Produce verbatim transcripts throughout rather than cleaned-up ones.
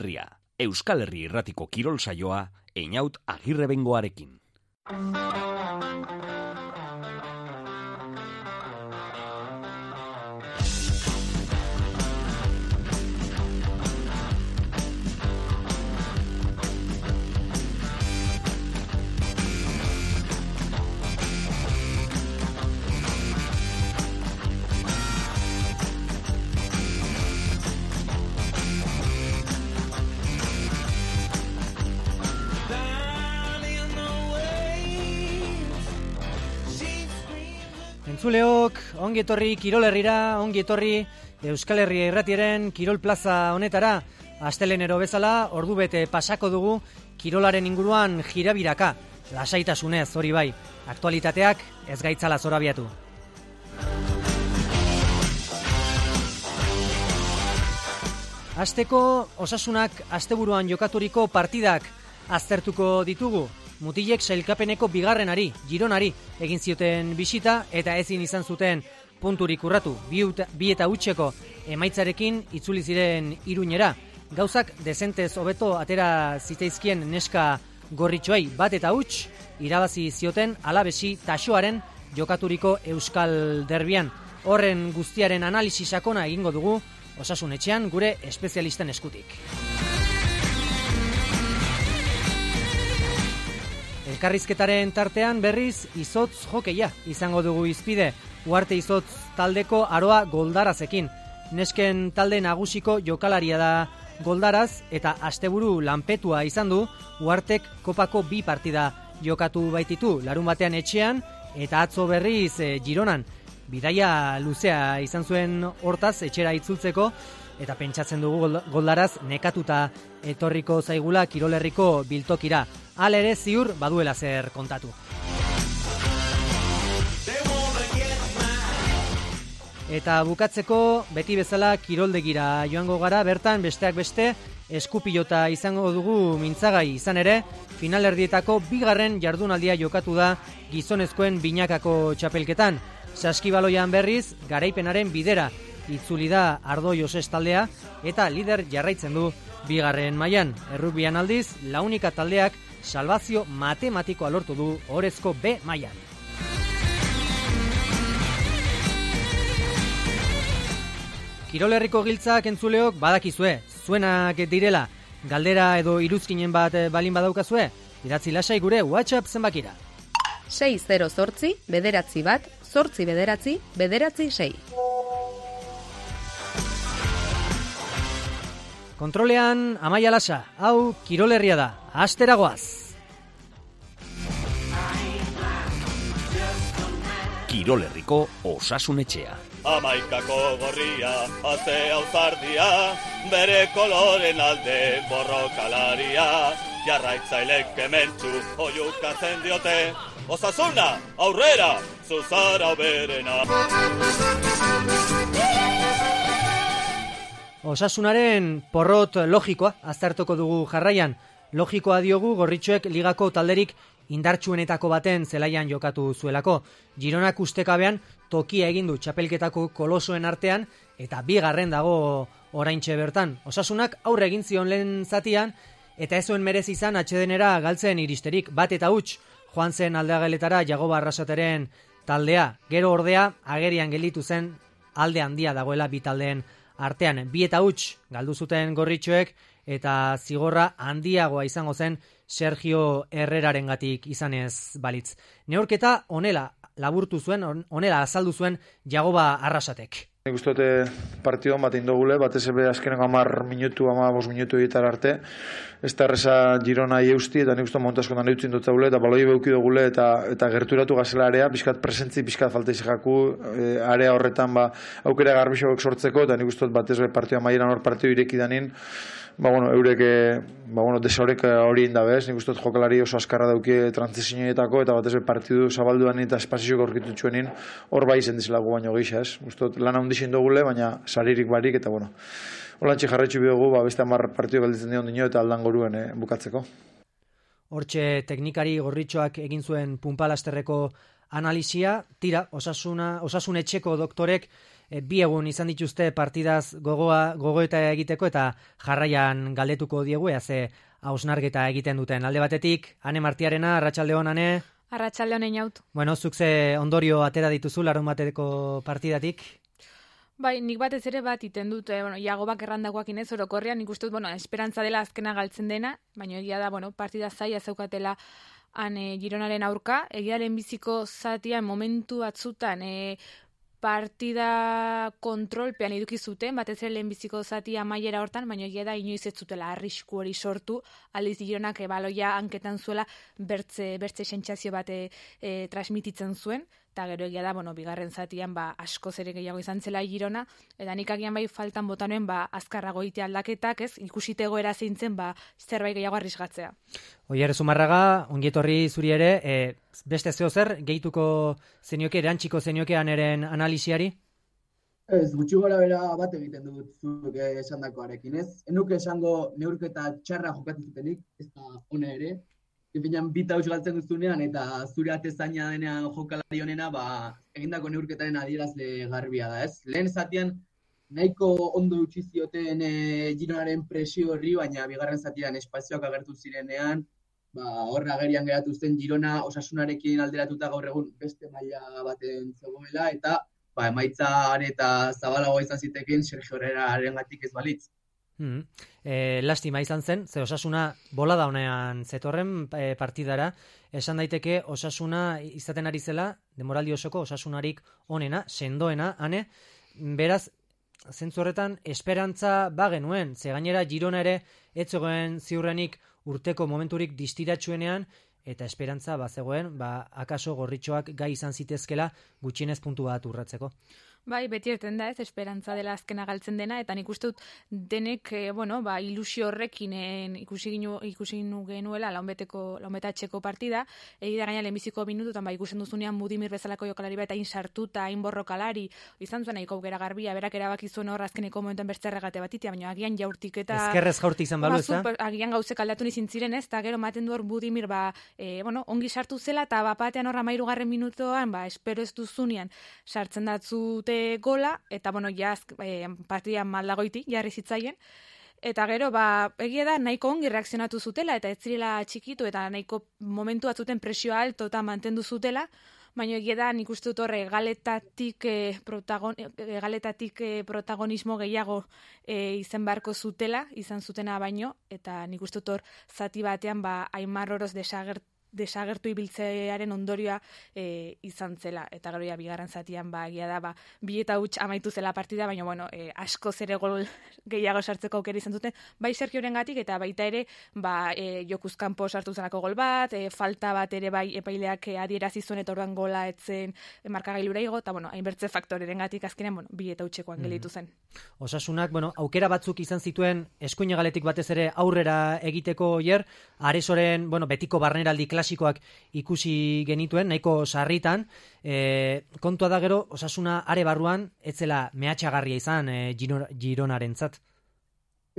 Ria, Euskal Herri Irratiko kirol saioa, Einaut Agirrebengoarekin. Entzuleok, ongi etorri Kirol Herrira, ongi etorri Euskal Herria Irratiaren Kirol Plaza honetara. Astelenero bezala, ordu bete pasako dugu kirolaren inguruan jirabiraka. Lasaitasunez, hori bai, aktualitateak ez gaitzala zorabiatu. Asteko Osasunak asteburuan jokaturiko partidak aztertuko ditugu. Mutilek sailkapeneko bigarrenari, Gironari, egin zioten bisita eta ezin izan zuten punturik urratu. Bi, bi eta hutseko emaitzarekin itzuli ziren Iruñera. Gauzak dezentez hobeto atera zitzaizkien neska gorritxoei bat eta huts, irabazi zioten Alabesi Taxoaren jokaturiko Euskal Derbian. Horren guztiaren analisi sakona egingo dugu Osasun etxean gure espezialisten eskutik. Elkarrizketaren tartean berriz izotz jokeia izango dugu izpide. Uarte izotz taldeko Aroa Goldarazekin. Nesken talde nagusiko jokalaria da Goldaraz eta asteburu lanpetua izan du. Uartek kopako bi partida jokatu baititu, larun batean etxean eta atzo berriz e, Gironan. Bidaia luzea izan zuen hortaz etxera itzultzeko eta pentsatzen dugu Goldaraz nekatuta etorriko zaigula Kirol Herriko biltokira. Hala ere ziur baduela zer kontatu. Eta bukatzeko beti bezala kiroldegira joango gara, bertan besteak beste eskupilota izango dugu mintzagai izan ere, finalerdietako bigarren jardunaldia jokatu da gizonezkoen binakako txapelketan. Saskibaloian berriz garaipenaren bidera itzuli da Ardo Joses taldea eta lider jarraitzen du bigarren mailan. Errugbian aldiz, launika taldeak salbazio matematikoa lortu du orezko B mailan. Kirol Herriko giltzak entzuleok badakizue, zuenak direla, galdera edo iruzkinen bat balin badaukazue, idatzi lasai gure WhatsApp zenbakira. sei zero zortzi, bederatzi bat, zortzi bederatzi, bederatzi sei. Kontrolean Amaia Lasa, hau Kirol Herria da, astera goaz. Kirol Herriko Osasun etxea. Amaikako gorria, ate auzardia, bere koloren alde borrokalaria, jarraitzailek kementsu oiukatzen diote, Osasuna, aurrera, zuzara berena. Osasunaren porrot logikoa aztertuko dugu jarraian. Logikoa diogu gorritxoek ligako talderik indartsuenetako baten zelaian jokatu zuelako. Gironak ustekabean tokia egin du txapelketako kolosoen artean eta bigarren dago oraintxe bertan. Osasunak aurre egin zion lehen zatian eta ez zuen merezi izan atsedenera galtzen iristerik. Bat eta huts joan zen aldeageletara Jagoba Arrasateren taldea. Gero ordea agerian gelditu zen alde handia dagoela bi taldeen artean. Bi eta huts galdu zuten gorritxoek eta zigorra handiagoa izango zen Sergio Herrerarengatik izanez balitz. Neurketa honela laburtu zuen, honela azaldu zuen Jagoba Arrasatek. Nik uste dute partido bat indogule, batez ebe azkeneko amar minutu, amar bos minutu egitar arte. Ez da erreza Girona eusti eta nik uste montaskotan eutzin dut zaule, eta baloi beuki dugule eta, eta gerturatu gazela area, bizkat presentzi, bizkat falta izaku, e, area horretan ba, aukera garbixoak sortzeko, eta nik uste dut batez ebe partioa maieran hor partio ireki danin, ba, bueno, eurek, ba, bueno, desaurek hori indabez, nik uste dut jokalari oso askarra dauki trantzizioetako, eta batez ebe partidu zabalduan eta espazioak aurkitutxuenin, hor bai izen dizelago baino gisa, ez? Uste dut lan handixen dugule, baina saririk barik, eta bueno, holantxe jarraitzu bidugu, ba, beste hamar partidu galditzen dion dino, eta aldan goruen eh, bukatzeko. Hortxe teknikari gorritxoak egin zuen punpalasterreko analisia, tira, osasuna, osasun etxeko doktorek e, bi egun izan dituzte partidaz gogoa, gogoeta egiteko eta jarraian galdetuko diegu, ea ze hausnarketa egiten duten. Alde batetik, Ane Martiarena, arratsaldeon, Ane. Arratsaldeon Einaut. Bueno, zuk ze ondorio atera dituzu larun bateko partidatik? Bai, nik batez ere bat iten dut, eh, bueno, Iagobak errandakoak inez, orokorrean, nik uste dut, bueno, esperantza dela azkena galtzen dena, baina egia da, bueno, partida zaila zeukatela han e, Gironaren aurka, egia lehenbiziko zatian momentu batzutan e, partida kontrolpean eduki zuten, batez ere lehenbiziko zatia amaiera hortan, baina egia da inoiz ez zutela arrisku hori sortu, aldiz Gironak e, baloia hanketan zuela bertze, bertze sentsazio bat e, e, transmititzen zuen, eta gero egia da, bueno, bigarren zatian ba, askoz ere gehiago izan zela Girona, eta nik agian bai faltan botanuen ba, azkarrago ite aldaketak, ez, ikusite egoera zeintzen ba, zerbait gehiago arrisgatzea. Oier Zumarraga, ongietorri zuri ere, e, beste zeo zer, gehituko zenioke, erantxiko zeniokean eren analisiari? Ez, gutxi gora bera bat egiten dut zuk esan dakoarekin, ez? Enuke esango neurketa txarra jokatu zutenik, ez da ona ere, Epinan bita huts galtzen duzunean eta zure atezaina denean jokalari honena, ba, egindako neurketaren adierazle garbia da, ez? Lehen zatian nahiko ondo utzi zioten e, Gironaren presio horri, baina bigarren zatian espazioak agertu zirenean, ba, horra agerian geratu zen Girona Osasunarekin alderatuta gaur egun beste maila baten zegoela, eta ba, emaitzan eta zabalagoa izan zitekin Sergio Herrerarengatik ez balitz. Mm. E, lastima izan zen, ze Osasuna bolada honean zetorren e, partidara, esan daiteke Osasuna izaten ari zela, demoraldi osoko Osasunarik onena, sendoena, Ane, beraz, zentzu horretan, esperantza bagenuen, ze gainera Girona ere etzegoen ziurrenik urteko momenturik distiratsuenean, eta esperantza bazegoen, ba, akaso gorritxoak gai izan zitezkela gutxienez puntu bat urratzeko. Bai, beti erten da ez, esperantza dela azkena galtzen dena, eta nik uste dut denek, e, bueno, ba, ilusio horrekin en, ikusi, ginu, ikusi genuela launbeteko, launbetatxeko partida, egi da gaina lehenbiziko minututan, ba, ikusten duzunean Budimir bezalako jokalari bat hain sartuta, hain borrokalari, izan zuen nahiko aukera garbia, berak erabaki zuen hor azkeneko momentuan bertzerregate batitia, baina agian jaurtik eta... Ezkerrez jaurti izan balu, ez da? Agian gauzek aldatu nizin ziren ez, eta gero maten du hor Budimir, ba, e, bueno, ongi sartu zela, eta bapatean horra mairugarren minutoan, ba, espero ez duzunean, sartzen datzute gola, eta bueno, jaz eh, partidan maldagoiti jarri zitzaien, eta gero, ba, egia da, nahiko ongi reakzionatu zutela, eta ez zirela txikitu, eta nahiko momentu batzuten presioa alto eta mantendu zutela, baina egia da, nik uste dut horre, galetatik, eh, protagon, eh, galetatik eh, protagonismo gehiago eh, izen beharko zutela, izan zutena baino, eta nik uste dut hor, zati batean, ba, Aimar Oroz desagert desagertu ibiltzearen ondorioa e, izan zela, eta gero ja bigarren zatian ba egia da ba bi eta huts amaitu zela partida, baina bueno, e, asko zere gol gehiago sartzeko aukera izan duten, bai Sergiorengatik eta baita ere ba e, jokuz kanpo sartu zelako gol bat, e, falta bat ere bai epaileak e, adierazi zuen eta orduan gola etzen e, markagailura igo, eta bueno, hainbertze faktorerengatik azkenean, bueno, bi eta hutsekoan gelditu zen. Osasunak, bueno, aukera batzuk izan zituen eskuinegaletik batez ere aurrera egiteko Oier, Aresoren, bueno, betiko barneraldi klasikoak ikusi genituen, nahiko sarritan, e, kontua da gero, Osasuna are barruan, etzela mehatxagarria izan e, Gironarentzat.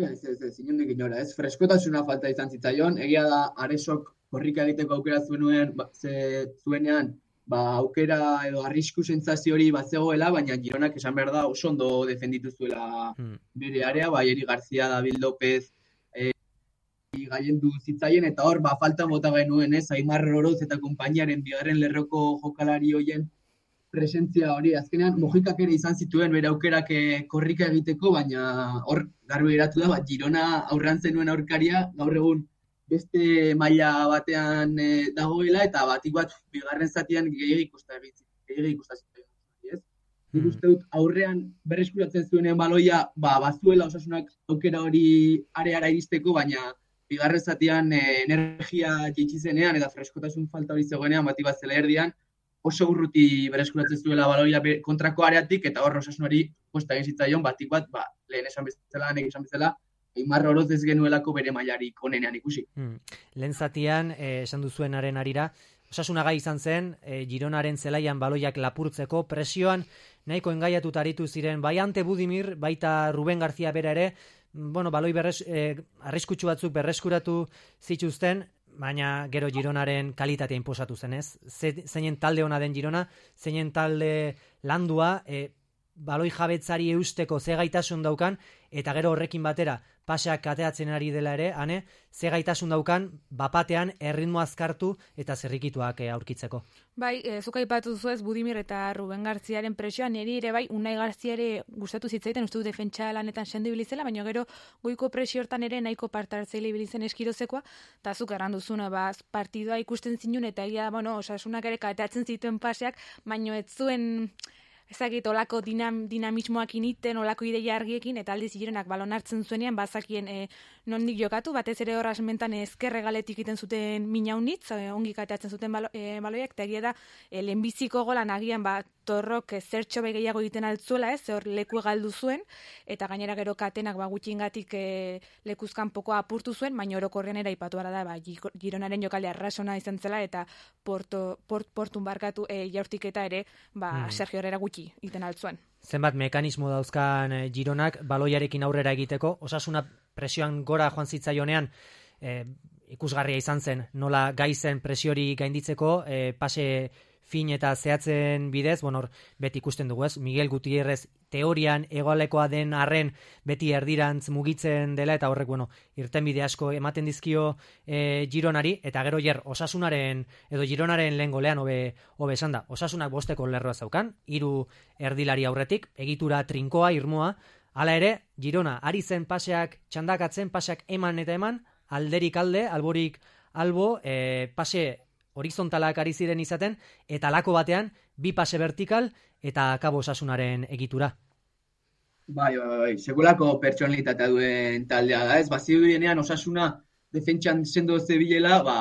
Ez, ez, ez, inondik inora, ez, freskotasuna falta izan zitzaion, egia da Aresok korrika egiteko aukera zuen, ba, ze, zuenean, ba, aukera edo arrisku sentsazio hori bat zegoela, baina Gironak esan behar da oso ondo defenditu zuela hmm. bere area, bai Eri Garzia, David López, e, gaiendu zitzaien, eta hor, ba, falta bota genuen, ez, Aimar Oroz eta konpainiaren bigarren lerroko jokalari hoien presentzia hori, azkenean, Mojikak ere izan zituen bere aukerak korrika egiteko, baina hor, garbi geratu da, ba, Girona aurrean zenuen aurkaria, gaur egun beste maila batean e, dagoela, eta batik bat bigarren zatian gehiagik ikusta zituen, ez? Nik uste dut aurrean berreskuratzen zuenean baloia, ba, bazuela Osasunak aukera hori areara iristeko, baina bigarren zatian e, energia jaitsi zenean eta freskotasun falta hori zegoenean batik bat zela erdian, oso urruti berreskuratzen zuela baloia kontrako areatik, eta hor Osasunari kosta egin zitzaion, batik bat, ba, lehen esan bezala, nek esan bezala, Aimar Oroz ez genuelako bere mailarik onenean ikusi. Hmm. Lehen zatian, eh, esan duzuenaren arira, Osasuna gai izan zen, eh, Gironaren zelaian baloiak lapurtzeko, presioan nahiko engaiatuta aritu ziren, bai Ante Budimir, baita Ruben Garzia bera ere, bueno, baloi berres, eh, arriskutsu batzuk berreskuratu zituzten, baina gero Gironaren kalitatea inposatu zen, ez? Zeinen talde ona den Girona, zeinen talde landua, eh, baloi jabetzari eusteko ze gaitasun daukan, eta gero horrekin batera paseak kateatzen ari dela ere, ane, ze gaitasun daukan bapatean erritmo azkartu eta zerrikituak e, aurkitzeko. Bai, e, zuk aipatu zuez Budimir eta Ruben Garziaren presioa, niri ere bai, Unai Garzia ere gustatu zitzaiten, uste du defentsa lanetan sendo ibilizela, baina gero goiko presio hortan ere nahiko parte hartzaile ibilizen eskirozekoa, eta zuk erranduzuna, ba, partidua ikusten zinun, eta egia, bueno, Osasunak ere kateatzen zituen paseak, baino ez zuen ezagit olako dinam, dinamismoak initen, olako ideia argiekin, eta aldiz Gironak balon hartzen zuenean, bazakien e, nondik jokatu, batez ere horraz mentan ezkerre galetik iten zuten minaunitz, e, ongi kateatzen zuten balo, e, baloiak, eta egia da, e, lehenbiziko golan agian, ba, Torrok zertxo be gehiago egiten altzuela, ez, hor leku galdu zuen, eta gainera gero katenak ba, gutxingatik e, lekuzkan poko apurtu zuen, baina orokorrean era ipatu gara da, ba, Gironaren jokalea rasona izan zela, eta porto, port, portun barkatu e, jaurtiketa ere, ba, hmm. Sergio Herrera gutxi iten altzuen. Zenbat mekanismo dauzkan e, Gironak baloiarekin aurrera egiteko, Osasuna presioan gora joan zitzaionean, e, ikusgarria izan zen, nola gaizen presiori gainditzeko, e, pase fin eta zehatzen bidez, bueno, beti ikusten dugu ez, Miguel Gutierrez teorian egoalekoa den arren beti erdirantz mugitzen dela, eta horrek, bueno, irtenbide asko ematen dizkio e, Gironari, eta gero jer Osasunaren, edo Gironaren lehen golean hobe, hobe esan da, Osasunak bosteko lerroa zaukan, hiru erdilari aurretik, egitura trinkoa, irmoa, hala ere, Girona, ari zen paseak txandakatzen, paseak eman eta eman, alderik alde, alborik albo, e, pase horizontalak ari ziren izaten, eta lako batean, bi pase vertikal, eta akabo Osasunaren egitura. Bai, bai, bai, segulako pertsonalitatea duen taldea da, ez? Bazio dienean Osasuna defentsan sendo zebilela, ba,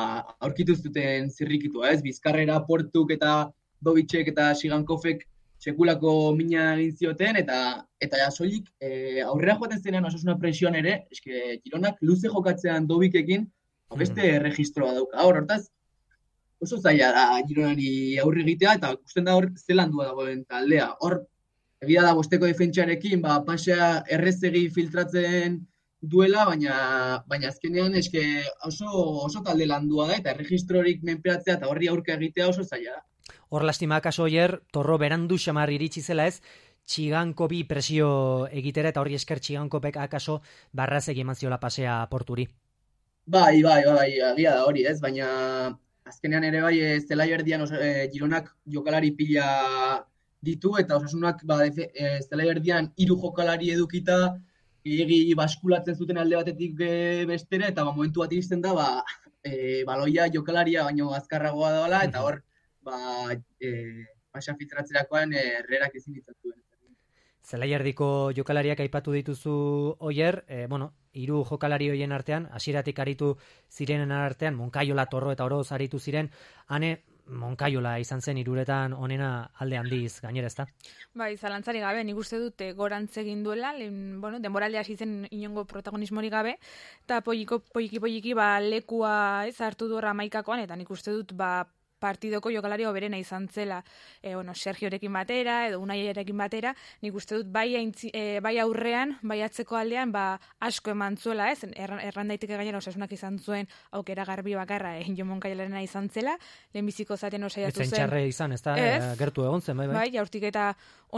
aurkitu zuten zirrikitua, ez? Bizkarrera Portuk eta Dobitxek eta Sigankofek sekulako mina egin zioten, eta eta ja soilik e, aurrera joaten zenean Osasuna presioan ere, eske Gironak luze jokatzean Dobikekin, beste hmm. erregistroa dauka. Hor, hortaz, oso zaila da Gironari aurre egitea, eta ikusten da hor zelandua dagoen taldea. Hor, egia da bosteko defentsarekin, ba, pasea errezegi filtratzen duela, baina baina azkenean eske oso, oso talde landua da, eta erregistrorik menperatzea eta horri aurka egitea oso zaila da. Hor lastima akaso hier, Torro berandu xamar iritsi zela ez, Txigankobi presio egitera, eta horri esker Txigankopek akaso barrazegi eman ziola pasea Porturi. Bai, bai, bai, egia da hori, ez, baina azkenean ere bai, e, zelai erdian e, Gironak jokalari pila ditu, eta Osasunak ba, e, zelai erdian hiru jokalari edukita, egi baskulatzen zuten alde batetik e, bestera, eta ba, momentu bat iristen da, ba, e, baloia jokalaria baino azkarragoa dela, eta hor, ba, e, pasa filtratzerakoan e, Herrerak ezin ditzatuen. Zelai erdiko jokalariak aipatu dituzu Oier, e, bueno, hiru jokalari hoien artean, hasieratik aritu zirenen artean, Monkaiola, Torro eta Oroz aritu ziren, ane Monkaiola izan zen hiruretan onena alde handiz gainera, ezta? Bai, zalantzari gabe, nik uste dute gorantz egin duela, lehen, bueno, denboralde hasi zen inongo protagonismorik gabe, eta poliki poliki ba lekua ez hartu du hamaikakoan, eta nik uste dut ba partidoko jokalari hoberena izan zela, e, bueno, Sergiorekin batera, edo Unaiarekin batera, nik uste dut bai, aintzi, e, bai aurrean, bai atzeko aldean, ba, asko eman zuela, ez? Erran, erran daiteke gainera Osasunak izan zuen aukera garbi bakarra, e, Jo Monkaiolena izan zela, lehenbiziko zaten osaiatu zen. Etzen txarre izan, ez da, e, gertu egon zen, bai, bai. Bai, jaurtik eta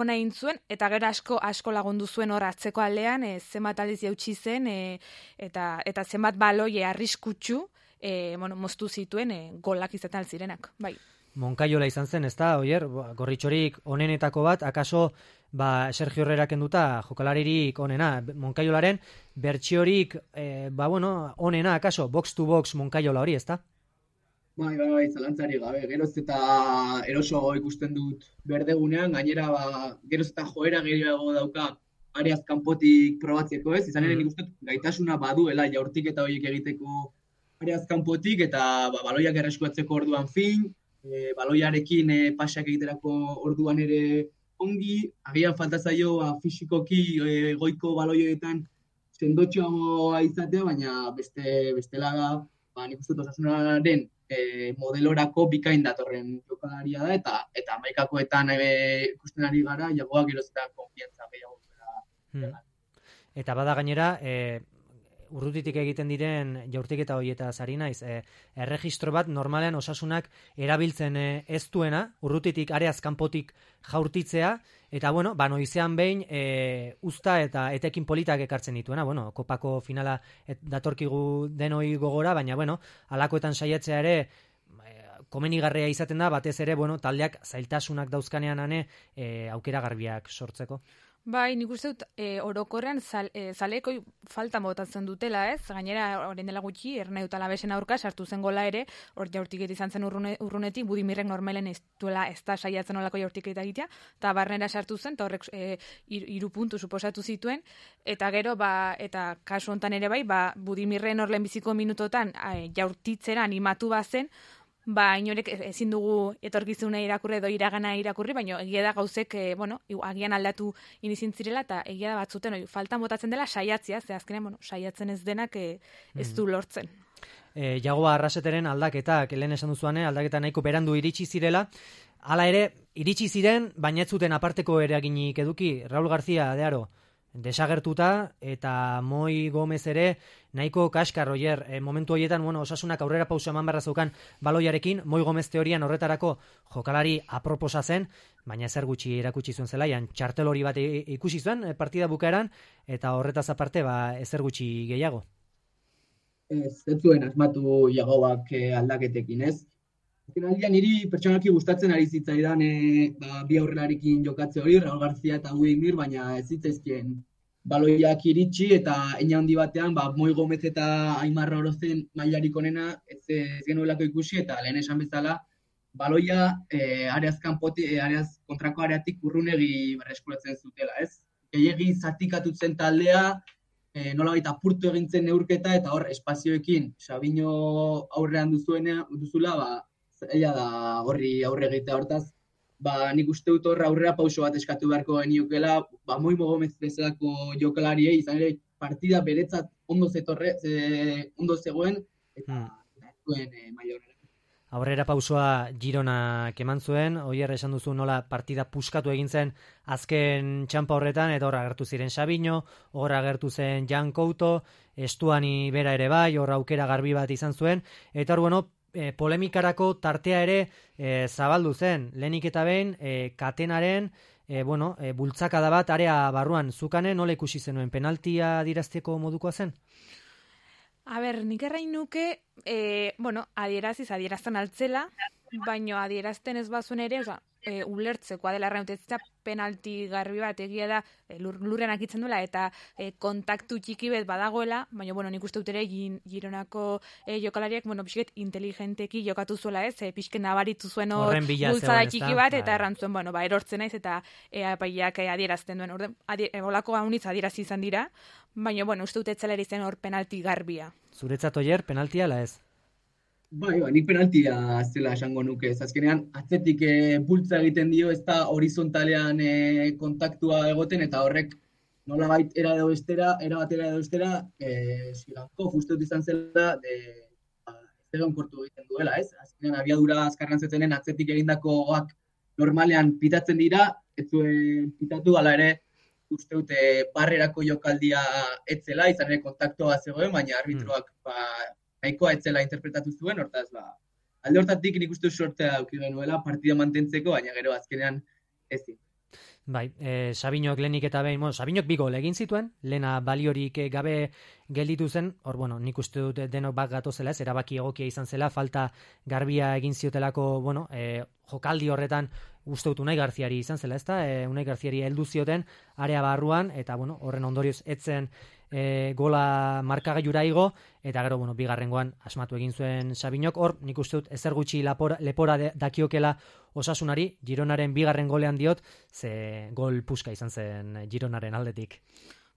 ona egin zuen, eta gero asko asko lagundu zuen hor atzeko aldean, e, zenbat aldiz jautsi zen, e, eta, eta zenbat baloie arriskutsu, E, bueno, moztu zituen e, golak izaten zirenak, bai. Monkaiola izan zen, ez da, Oier, gorritxorik onenetako bat, akaso, ba, Sergio Herrera kenduta jokalaririk onena, Monkaiolaren bertsiorik, e, ba, bueno, onena, akaso, box to box Monkaiola hori, ez da? Bai, bai, bai, zalantzari gabe, geroz eta eroso ikusten dut berdegunean, gainera, ba, geroz eta joera gehiago dauka areaz kanpotik probatzeko, ez? Izan ere nik uste gaitasuna baduela jaurtik eta horiek egiteko areaz kanpotik, eta ba, baloiak erreskuatzeko orduan fin, e, baloiarekin e, pasak egiterako orduan ere ongi, agian falta zaio ba, fisikoki e, goiko baloioetan sendotxoa izatea, baina beste bestela da, ba, nik uste Osasunaren e, modelorako bikain datorren jokalaria da, eta eta hamaikakoetan e, ikusten ari gara, jagoak geroz eta konfiantza gehiago. Hmm. Eta bada gainera, e, urrutitik egiten diren jaurtiketa horietaz ari naiz. E, erregistro bat normalean Osasunak erabiltzen e, ez duena, urrutitik areaz kanpotik jaurtitzea, eta bueno, ba, noizean behin e, uzta eta etekin politak ekartzen dituena, bueno, kopako finala et, datorkigu denoi gogora, baina bueno, alakoetan saiatzea ere komenigarria izaten da, batez ere, bueno, taldeak zailtasunak dauzkanean ane e, aukera garbiak sortzeko. Bai, nik uste dut e, orokorrean zal, e, zaleko falta botatzen dutela, ez? Gainera, orain dela gutxi, Ernai dut Alavesen aurka sartu zen gola ere, hor jaurtiket izan zen urrune, urrunetik, Budimirrek normalen ez duela ez da saiatzen olako jaurtiketa egitea, eta barnera sartu zen, eta horrek e, iru puntu suposatu zituen, eta gero, ba, eta kasu hontan ere bai, ba, Budimirren hor lehenbiziko minutotan e, jaurtitzera animatu bazen, ba, inorek ezin dugu etorkizuna irakurri edo iragana irakurri, baina egia da gauzek, e, bueno, agian aldatu inizintzirela, eta egia da batzuten, oi, faltan botatzen dela saiatzia, ze azkenean, bueno, saiatzen ez denak e, ez du lortzen. E, Jagoa Arraseteren aldaketak, lehen esan duzuane, aldaketa nahiko berandu iritsi zirela, hala ere, iritsi ziren, baina ez zuten aparteko eraginik eduki, Raul García de Aro, desagertuta, eta Moi Gomez ere nahiko kaskar, oier, e, momentu horietan, bueno, Osasunak aurrera pauso eman beharra zeukan baloiarekin, Moi Gomez teorian horretarako jokalari aproposa zen, baina ezer gutxi erakutsi zuen zelaian, txartel hori bat ikusi zuen partida bukaeran, eta horretaz aparte, ba, ezer gutxi gehiago. Ez, ez zuen asmatu Jagoak aldaketekin, ez? Finalian niri pertsonalki gustatzen ari zitzaidan e, ba, bi aurrelarekin jokatze hori, Raul García eta Budimir, baina ez zitzaizkien baloiak iritsi eta eina handi batean, ba, Moi Gomez eta Aimar Orozen mailarik onena ez, ez genuelako ikusi, eta lehen esan bezala, baloia e, areaz, kanpoti, e, areaz kontrako areatik urrunegi berreskuratzen zutela, ez? Gehiegi zatikatutzen taldea, e, nolabait apurtu egintzen neurketa, eta hor espazioekin Sabino aurrean duzuena, duzula, ba, ella da horri aurre egitea hortaz, ba, nik uste dut horra aurrera pauso bat eskatu beharko geniokela, ba, Moi Gomez bezalako jokalariei, izan ere partida beretzat ondo zetorre, ze, ondo zegoen, eta hmm. zuen e, maila horrela. Aurrera pausoa Gironak eman zuen, oier esan duzu nola partida puskatu egin zen azken txampa horretan, eta horra agertu ziren Sabino, horra agertu zen Jan Couto, Estuani bera ere bai, horra aukera garbi bat izan zuen, eta hor, bueno, E, polemikarako tartea ere e, zabaldu zen, lehenik eta behin e, Katenaren e, bueno, e, bultzakada bat area barruan, zukane nola ikusi zenuen, penaltia dirazteko modukoa zen? A ber, nik errain nuke, e, bueno, adieraziz, adierazten altzela, baino adierazten ez bazuen ere, oza, e, ulertzekoa dela errautetzea penalti garbi bat egia da e, lur, lurren akitzen duela eta e, kontaktu txiki bet badagoela, baina bueno, nik uste dut ere Gironako e, jokalariak, bueno, pixket inteligenteki jokatu zuela ez, e, pixket nabaritu zuen hor bultzada txiki bat, eta errantzuen, bueno, ba, erortzen naiz eta e, apaiak e, adierazten duen, orden, adie, e, olako haunitz adierazi izan dira, baina bueno, uste dut etzela zen hor penalti garbia. Zuretzat oier, penaltia ala ez? Bai, bai, nik penaltia zela esango nuke, ez azkenean atzetik e, bultza egiten dio, ez da horizontalean e, kontaktua egoten, eta horrek nolabait era edo bestera, era batera edo bestera, e, Siganko uste dut izan zela, de, ba, ez egon kortu egiten duela, ez? Azkenean abiadura azkarran zetenen atzetik egindakoak normalean pitatzen dira, ez zuen pitatu, ala ere, uste dute barrerako jokaldia etzela, izan ere kontaktua zegoen, baina arbitroak, ba, nahikoa etzela interpretatu zuen, hortaz, ba, alde hortatik nik uste sortea auki genuela partida mantentzeko, baina gero azkenean ezin. Bai, e, Sabinok lehenik eta behin, bueno, Sabinok bi gol egin zituen, lehena baliorik gabe gelditu zen, hor, bueno, nik uste dut denok bat gatozela ez, erabaki egokia izan zela, falta garbia egin ziotelako, bueno, e, jokaldi horretan uste dut Unai Garziari izan zela, ezta? E, Unai Garziari heldu zioten area barruan, eta, bueno, horren ondorioz etzen e, gola markagailura igo, eta gero, bueno, bigarrengoan asmatu egin zuen Sabinok, hor, nik uste dut ezer gutxi lapora, lepora de, dakiokela Osasunari, Gironaren bigarren golean diot, ze gol puska izan zen Gironaren aldetik.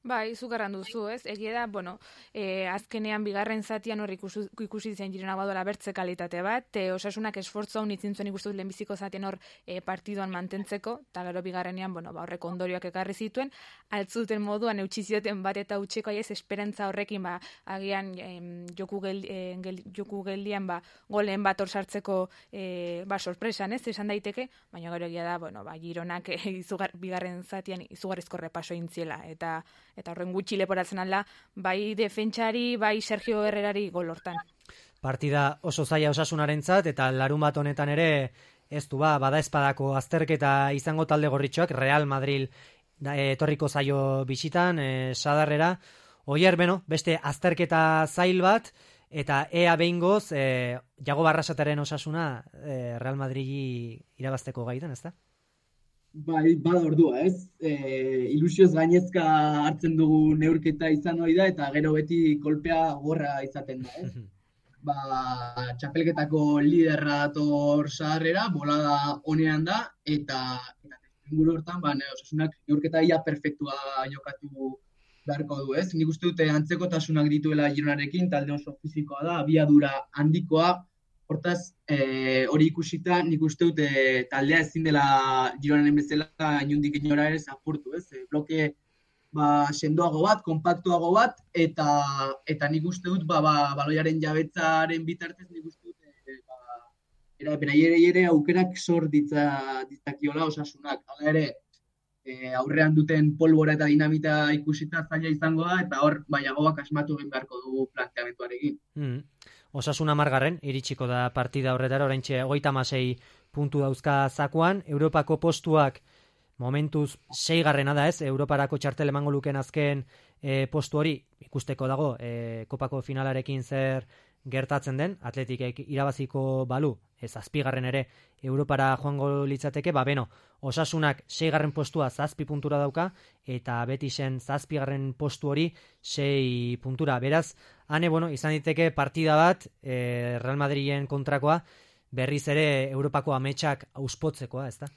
Bai, zugarran duzu, ez? Egia da, bueno, e, azkenean bigarren zatian hor ikusi, ikusi zen Girona badola bertze kalitate bat, e, Osasunak esfortzu hau nitzen zuen ikustu lehenbiziko zatian hor e, partiduan mantentzeko, eta gero bigarrenean, bueno, ba, horrek ondorioak ekarri zituen, altzuten moduan eutsi zioten bat eta utxeko aiez esperantza horrekin, ba, agian em, joku, gel, e, gel, joku geldian, ba, golen bat hor sartzeko e, ba, sorpresan, ez? Esan daiteke, baina gero egia da, bueno, ba, Gironak e, izugar, bigarren zatian izugarrizko repaso intziela, eta eta horren gutxi leporatzen alda, bai defentsari, bai Sergio Herrerari gol hortan. Partida oso zaila Osasunarentzat eta larun bat honetan ere ez du ba, bada espadako azterketa izango talde gorritxoak, Real Madrid da, etorriko zaio bisitan, e, sadarrera, oier, beno, beste azterketa zail bat, eta ea behingoz, e, Jago Barrasataren Osasuna e, Real Madridi irabazteko gaitan, ez da? Bai, bada ordua, ez? E, ilusioz gainezka hartzen dugu neurketa izan hori da, eta gero beti kolpea gorra izaten da, ez? Ba, txapelketako liderra dator sadarrera, bolada honean da, eta eta inguru hortan, ba, Osasunak neurketa ia perfektua jokatu beharko du, ez? Nik uste dute antzekotasunak dituela Gironarekin, talde oso fizikoa da, abiadura handikoa, hortaz, e, hori ikusita, nik uste dute taldea ezin dela Gironaren bezala inundik inora ere zapurtu, ez? E, bloke ba, sendoago bat, kompaktuago bat, eta eta nik uste dut ba, ba, baloiaren jabetzaren bitartez nik uste dut e, ba, era, beraiere ere aukerak sor ditza, ditzakiola Osasunak. Hala ere, e, aurrean duten polbora eta dinamita ikusita zaila izango da, eta hor baiagoak asmatu egin beharko dugu planteamentuarekin. Mm. Osasuna margarren, iritsiko da partida horretara, oraintxe hogeita hamasei puntu dauzka zakuan, Europako postuak momentuz seigarrena da ez, Europarako txartel emango luken azken e, postu hori ikusteko dago, e, kopako finalarekin zer gertatzen den, Atletikek irabaziko balu, ez azpigarren ere Europara joango litzateke, ba beno, Osasunak seigarren postua zazpi puntura dauka, eta Betisen zazpigarren postu hori sei puntura. Beraz, hane, bueno, izan diteke partida bat, e, Real Madriden kontrakoa, berriz ere Europako ametsak auspotzekoa, ez da?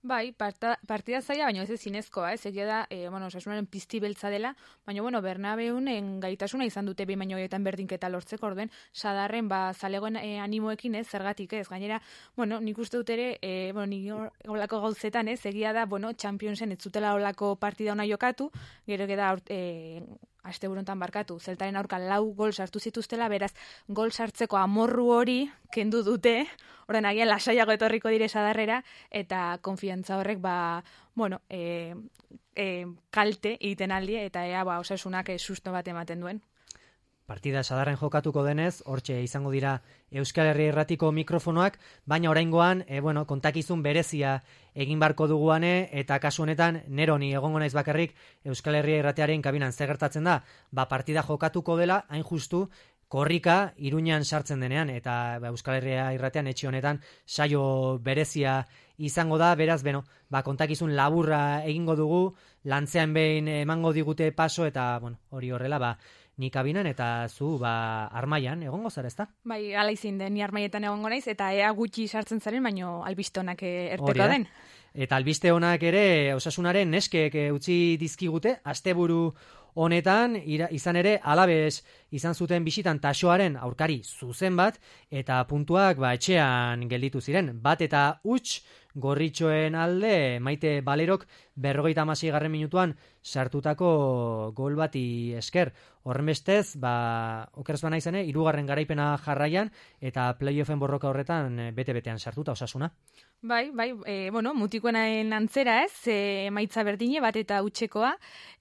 Bai, parta, partida zaila, baina ez zinezkoa, ez egia da, e, bueno, Osasunaren pizti beltza dela, baina, bueno, Bernabeunen gaitasuna izan dute behin baino horietan berdinketa lortzeko, orden, sadarren, ba, zalegoen e, animoekin, ez, zergatik, ez, gainera, bueno, nik uste dut ere, e, bueno, nik olako gauzetan, ez, egia da, bueno, Championsen ez zutela olako partida ona jokatu, gero da, e, asteburontan barkatu, zeltaren aurka lau gol sartu zituztela, beraz, gol sartzeko amorru hori kendu dute, horren agian lasaiago etorriko dire sadarrera, eta konfiantza horrek, ba, bueno, e, e, kalte egiten aldi, eta ea, ba, Osasunak e, susto bat ematen duen. Partida sadarren jokatuko denez, hortxe izango dira Euskal Herria Irratiko mikrofonoak, baina oraingoan, e, bueno, kontakizun berezia egin barko duguane, eta kasu honetan, neroni egongo naiz bakarrik Euskal Herria Irratearen kabinan zer gertatzen da, ba partida jokatuko dela, hain justu, korrika Iruñan sartzen denean, eta ba, Euskal Herria Irratean etxe honetan saio berezia izango da, beraz, beno, ba, kontakizun laburra egingo dugu, lantzean behin emango digute paso, eta, bueno, hori horrela, ba, ni kabinan eta zu ba armaian egongo zara, ezta? Bai, hala izin den, ni armaietan egongo naiz eta ea gutxi sartzen zaren, baino albiste onak erteko den. Eta albiste onak ere Osasunaren neskek utzi dizkigute asteburu honetan, ira, izan ere Alabes izan zuten bisitan Taxoaren aurkari zuzen bat eta puntuak ba etxean gelditu ziren. Bat eta huts gorritxoen alde Maite Balerok berrogeita hamaseigarren minutuan sartutako gol bati esker. Horrenbestez, ba, okerz bana izane, hirugarren garaipena jarraian eta playoffen borroka horretan bete-betean sartuta Osasuna. Bai, bai, e, bueno, mutikoenaen antzera ez, e, emaitza berdine bat eta utxekoa,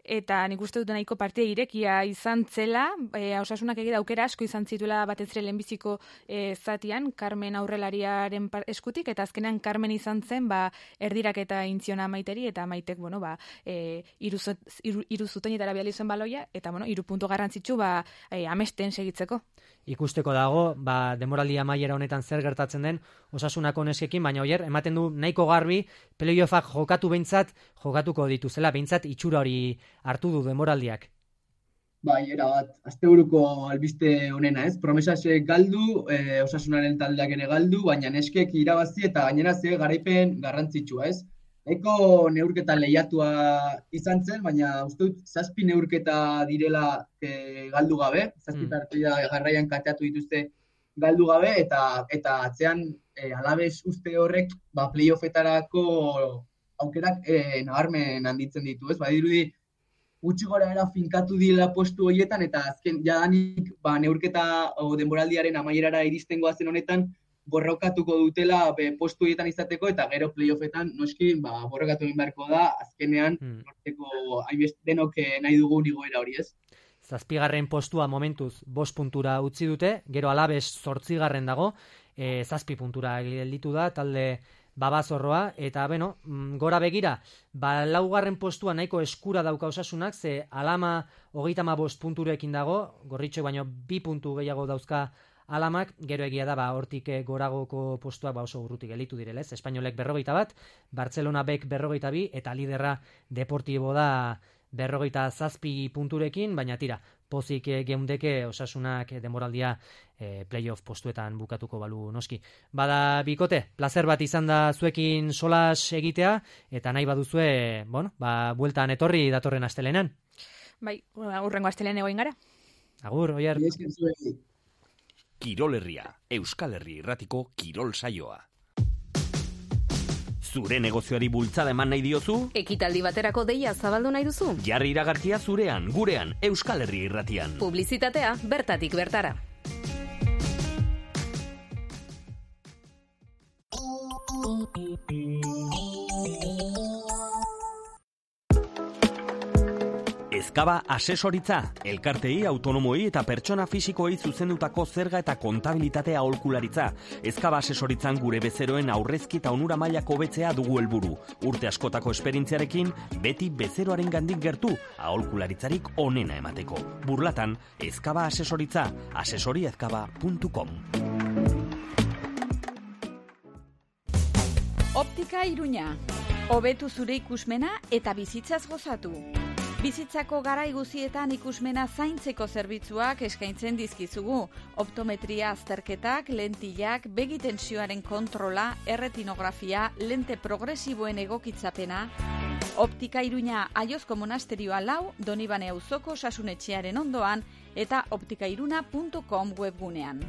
eta nik uste dut nahiko partida irekia izan zela, e, Osasunak egida aukera asko izan zituela batez ere lehenbiziko e, zatian, Carmen aurrelariaren eskutik, eta azkenean Carmen izan zen, ba, erdirak eta intziona Maiteri, eta Maitek, bueno, ba, e, iru, iru, iru zutenetara biali zen baloia, eta, bueno, iru puntu garrantzitsu, ba, e, amesten segitzeko. Ikusteko dago, ba, demoraldi amaiera honetan zer gertatzen den Osasunako neskekin, baina oier, ematen du nahiko garbi, playoffak jokatu behintzat, jokatuko dituzela, behintzat itxura hori hartu du demoraldiak. Bai, era bat, asteburuko albiste honena, ez? Promesasek galdu, e, Osasunaren taldeak ere galdu, baina neskek irabazi eta gainera ze garaipen garrantzitsua, ez? Eko neurketa lehiatua izan zen, baina uste dut zazpi neurketa direla e, galdu gabe, zazpi mm. partida garraian kateatu dituzte galdu gabe, eta eta atzean e, Alabes uste horrek ba, playoffetarako aukerak e, nabarmen handitzen ditu, ez? Badirudi gutxi gora era finkatu dila postu horietan, eta azken jadanik ba, neurketa o denboraldiaren amaierara iristen goazen honetan, borrokatuko dutela be, postu horietan izateko, eta gero playoffetan noski ba, borrokatu egin beharko da, azkenean hmm. norteko denok nahi dugun igoera hori ez. Zazpigarren postua momentuz bost puntura utzi dute, gero Alabes zortzigarren dago, e, zazpi puntura gelditu da, talde Babazorroa, eta beno, gora begira, ba, laugarren postua nahiko eskura dauka Osasunak, ze Alama hogeita hamabost punturekin dago, Gorritxoek baino bi puntu gehiago dauzka Alamak, gero egia da, ba, hortik goragoko postuak ba, oso urrutik gelditu direlez, Espainolek berrogeita bat, Barcelona Bek berrogeita bi, eta liderra Deportibo da berrogeita zazpi punturekin, baina tira, pozik geundeke Osasunak demoraldia e, playoff postuetan bukatuko balu noski. Bada bikote, placer bat izan da zuekin solas egitea, eta nahi baduzue, bueno, ba, bueltan etorri datorren astelenan. Bai, urrengo astelehen egoin gara. Agur, Oier. Kirol Herria, Euskal Herri irratiko kirol saioa. Zure negozioari bultzada eman nahi diozu? Ekitaldi baterako deia zabaldu nahi duzu? Jarri iragarkia zurean, gurean, Euskal Herri irratian. Publizitatea bertatik bertara. Ezkaba asesoritza, elkartei, autonomoi eta pertsona fisikoei zuzendutako zerga eta kontabilitatea aholkularitza. Ezkaba asesoritzan gure bezeroen aurrezki eta onura mailako hobetzea dugu helburu. Urte askotako esperientziarekin, beti bezeroaren gandik gertu, aholkularitzarik onena emateko. Burlatan, Ezkaba asesoritza, asesoriezkaba puntu com. Optika Iruña. Hobetu zure ikusmena eta bizitzaz gozatu. Bizitzako garai guzietan ikusmena zaintzeko zerbitzuak eskaintzen dizkizugu. Optometria azterketak, lentillak, begitensioaren kontrola, erretinografia, lente progresiboen egokitzapena. Optika Iruña Aiozko monasterioa lau, Donibane auzoko osasunetxearen ondoan eta optikairuna puntu com webgunean.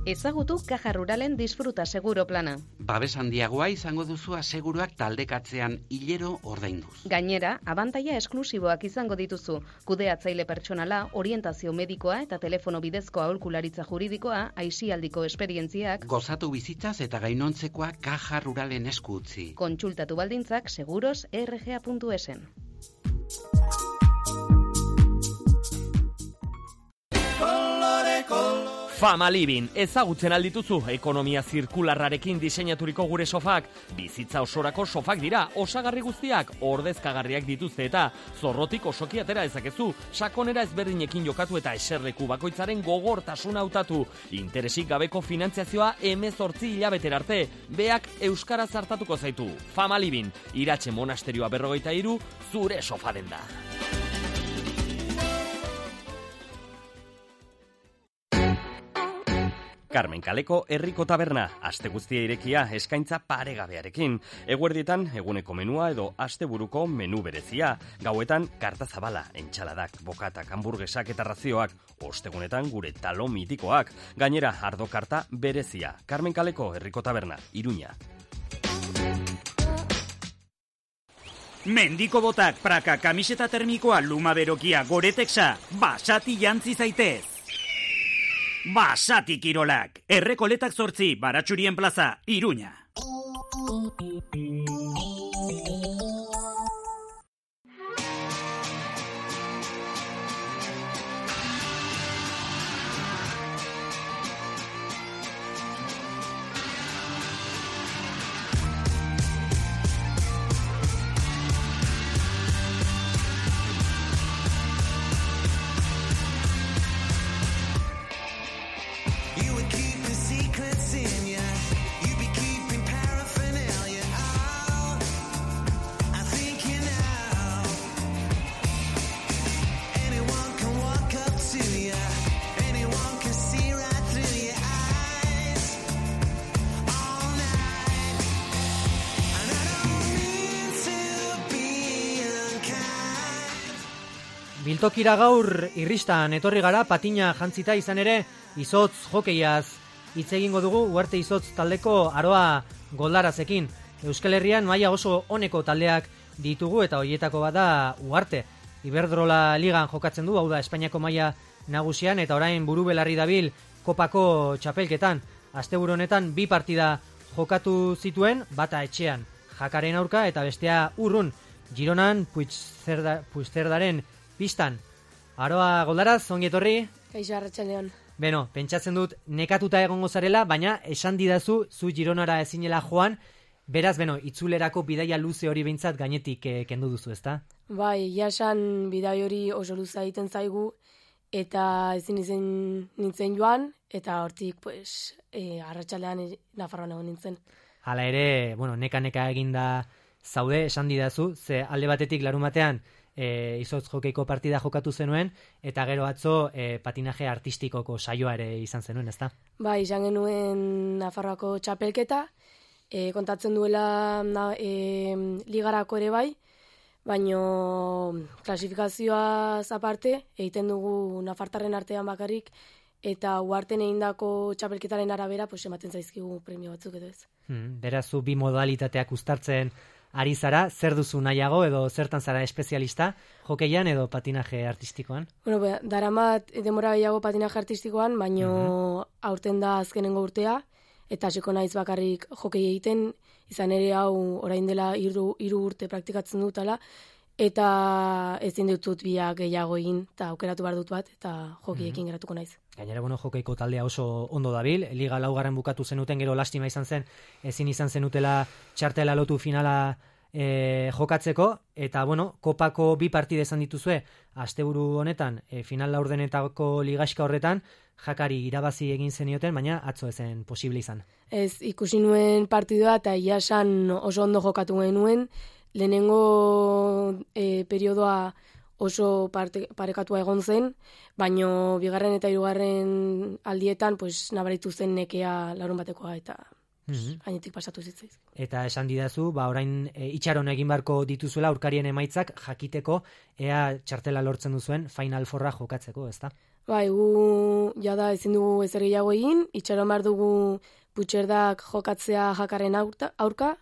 Ezagutu Caja Ruralen disfruta seguro plana. Babes handiagoa izango duzu aseguruak taldekatzean hilero ordainduz. Gainera, abantaila esklusiboak izango dituzu. Kudeatzaile pertsonala, orientazio medikoa eta telefono bidezko aholkularitza juridikoa, aisialdiko esperientziak. Gozatu bizitzaz eta gainontzekoa Caja Ruralen esku utzi. Kontsultatu baldintzak seguros erre ge a puntu esen. Fama Living, ezagutzen aldituzu, ekonomia zirkularrarekin diseinaturiko gure sofak. Bizitza osorako sofak dira, osagarri guztiak, ordezkagarriak dituzte eta zorrotik osoki atera ezakezu, sakonera ezberdinekin jokatu eta eserleku bakoitzaren gogortasuna hautatu. Interesik gabeko finantziazioa hemezortzi hilabeter arte, beak euskaraz hartatuko zaitu. Fama Living, Iratxe monasterioa berrogeita hiru, zure sofa denda. Carmen Kaleko herriko taberna, aste guztia irekia, eskaintza paregabearekin. Eguerdietan, eguneko menua edo asteburuko menu berezia. Gauetan, karta zabala, entxaladak, bokatak, hamburguesak eta razioak. Ostegunetan, gure talo mitikoak. Gainera, ardo karta berezia. Carmen Kaleko herriko taberna, Iruña. Mendiko botak, praka, kamiseta termikoa, luma berokia, goreteksa, basati jantzi zaitez. Basati Kirolak, Errekoletak zortzi, Baratxurien plaza, Iruña. Biltokira gaur irristan etorri gara patina jantzita izan ere izotz jokeiaz hitz egingo dugu Uarte Izotz taldeko Aroa Goldarazekin. Euskal Herrian maila oso oneko taldeak ditugu eta hoietako bada Uarte. Iberdrola Ligan jokatzen du, hau da Espainiako maila nagusian, eta orain buru belarri dabil kopako txapelketan. Asteburu honetan bi partida jokatu zituen, bata etxean Jakaren aurka eta bestea urrun Gironan Puigcerda, Puigcerdaren pistan. Aroa Goldaraz, ongi etorri? Kaixo, arratsaldeon. Beno, pentsatzen dut nekatuta egongo zarela, baina esan didazu zu Gironara ezinela joan, beraz, beno, itzulerako bidaia luze hori behintzat gainetik eh, kendu duzu, ezta? Bai, jasan bidai hori oso luza egiten zaigu, eta ezin izen nintzen joan, eta hortik, pues, e, arratsaldean Nafarroan egon nintzen. Hala ere, bueno, neka-neka eginda zaude, esan didazu, ze alde batetik larun batean e, izotz jokeiko partida jokatu zenuen, eta gero atzo e, patinaje artistikoko saioa ere izan zenuen, ezta? Bai, izan genuen Nafarroako txapelketa, e, kontatzen duela na, e, ligarako ere bai, baino klasifikazioaz aparte, egiten dugu nafartarren artean bakarrik, eta uarten egindako txapelketaren arabera, pues, ematen zaizkigu premio batzuk edo ez. Hmm, berazu bi modalitateak uztartzen ari zara, zer duzu nahiago edo zertan zara espezialista, jokeian edo patinaje artistikoan? Bueno, be, daramat demora gehiago patinaje artistikoan, baino mm-hmm. aurten da azkenengo urtea, eta hasiko naiz bakarrik jokei egiten, izan ere hau orain dela hiru hiru urte praktikatzen dutala, eta ezin dutut biak gehiago egin, eta aukeratu behar dut bat, eta jokiekin mm-hmm. geratuko naiz. Gainera, bueno, jokeiko taldea oso ondo dabil, Liga laugarren bukatu zenuten, gero lastima izan zen, ezin izan zenutela txartela lotu finala e, jokatzeko, eta, bueno, kopako bi partide izan dituzue, asteburu honetan, e, final laurdenetako ligaxka horretan, Jakari irabazi egin zenioten, baina atzo ezen posible izan. Ez, ikusi nuen partidua, eta iasan oso ondo jokatu genuen, lehenengo e, periodoa oso parte, parekatua egon zen, baino bigarren eta hirugarren aldietan pues, nabaritu zen nekea larun batekoa eta mm-hmm. gainetik pasatu zitzaiz. Eta esan didazu, ba, orain e, itxaron egin barko dituzuela aurkarien emaitzak jakiteko ea txartela lortzen duzuen Final Fourra jokatzeko, ezta? Bai, gu jada ezin dugu ezer gehiago egin, itxaron behar dugu Puigcerdak jokatzea Jakaren aurka, aurka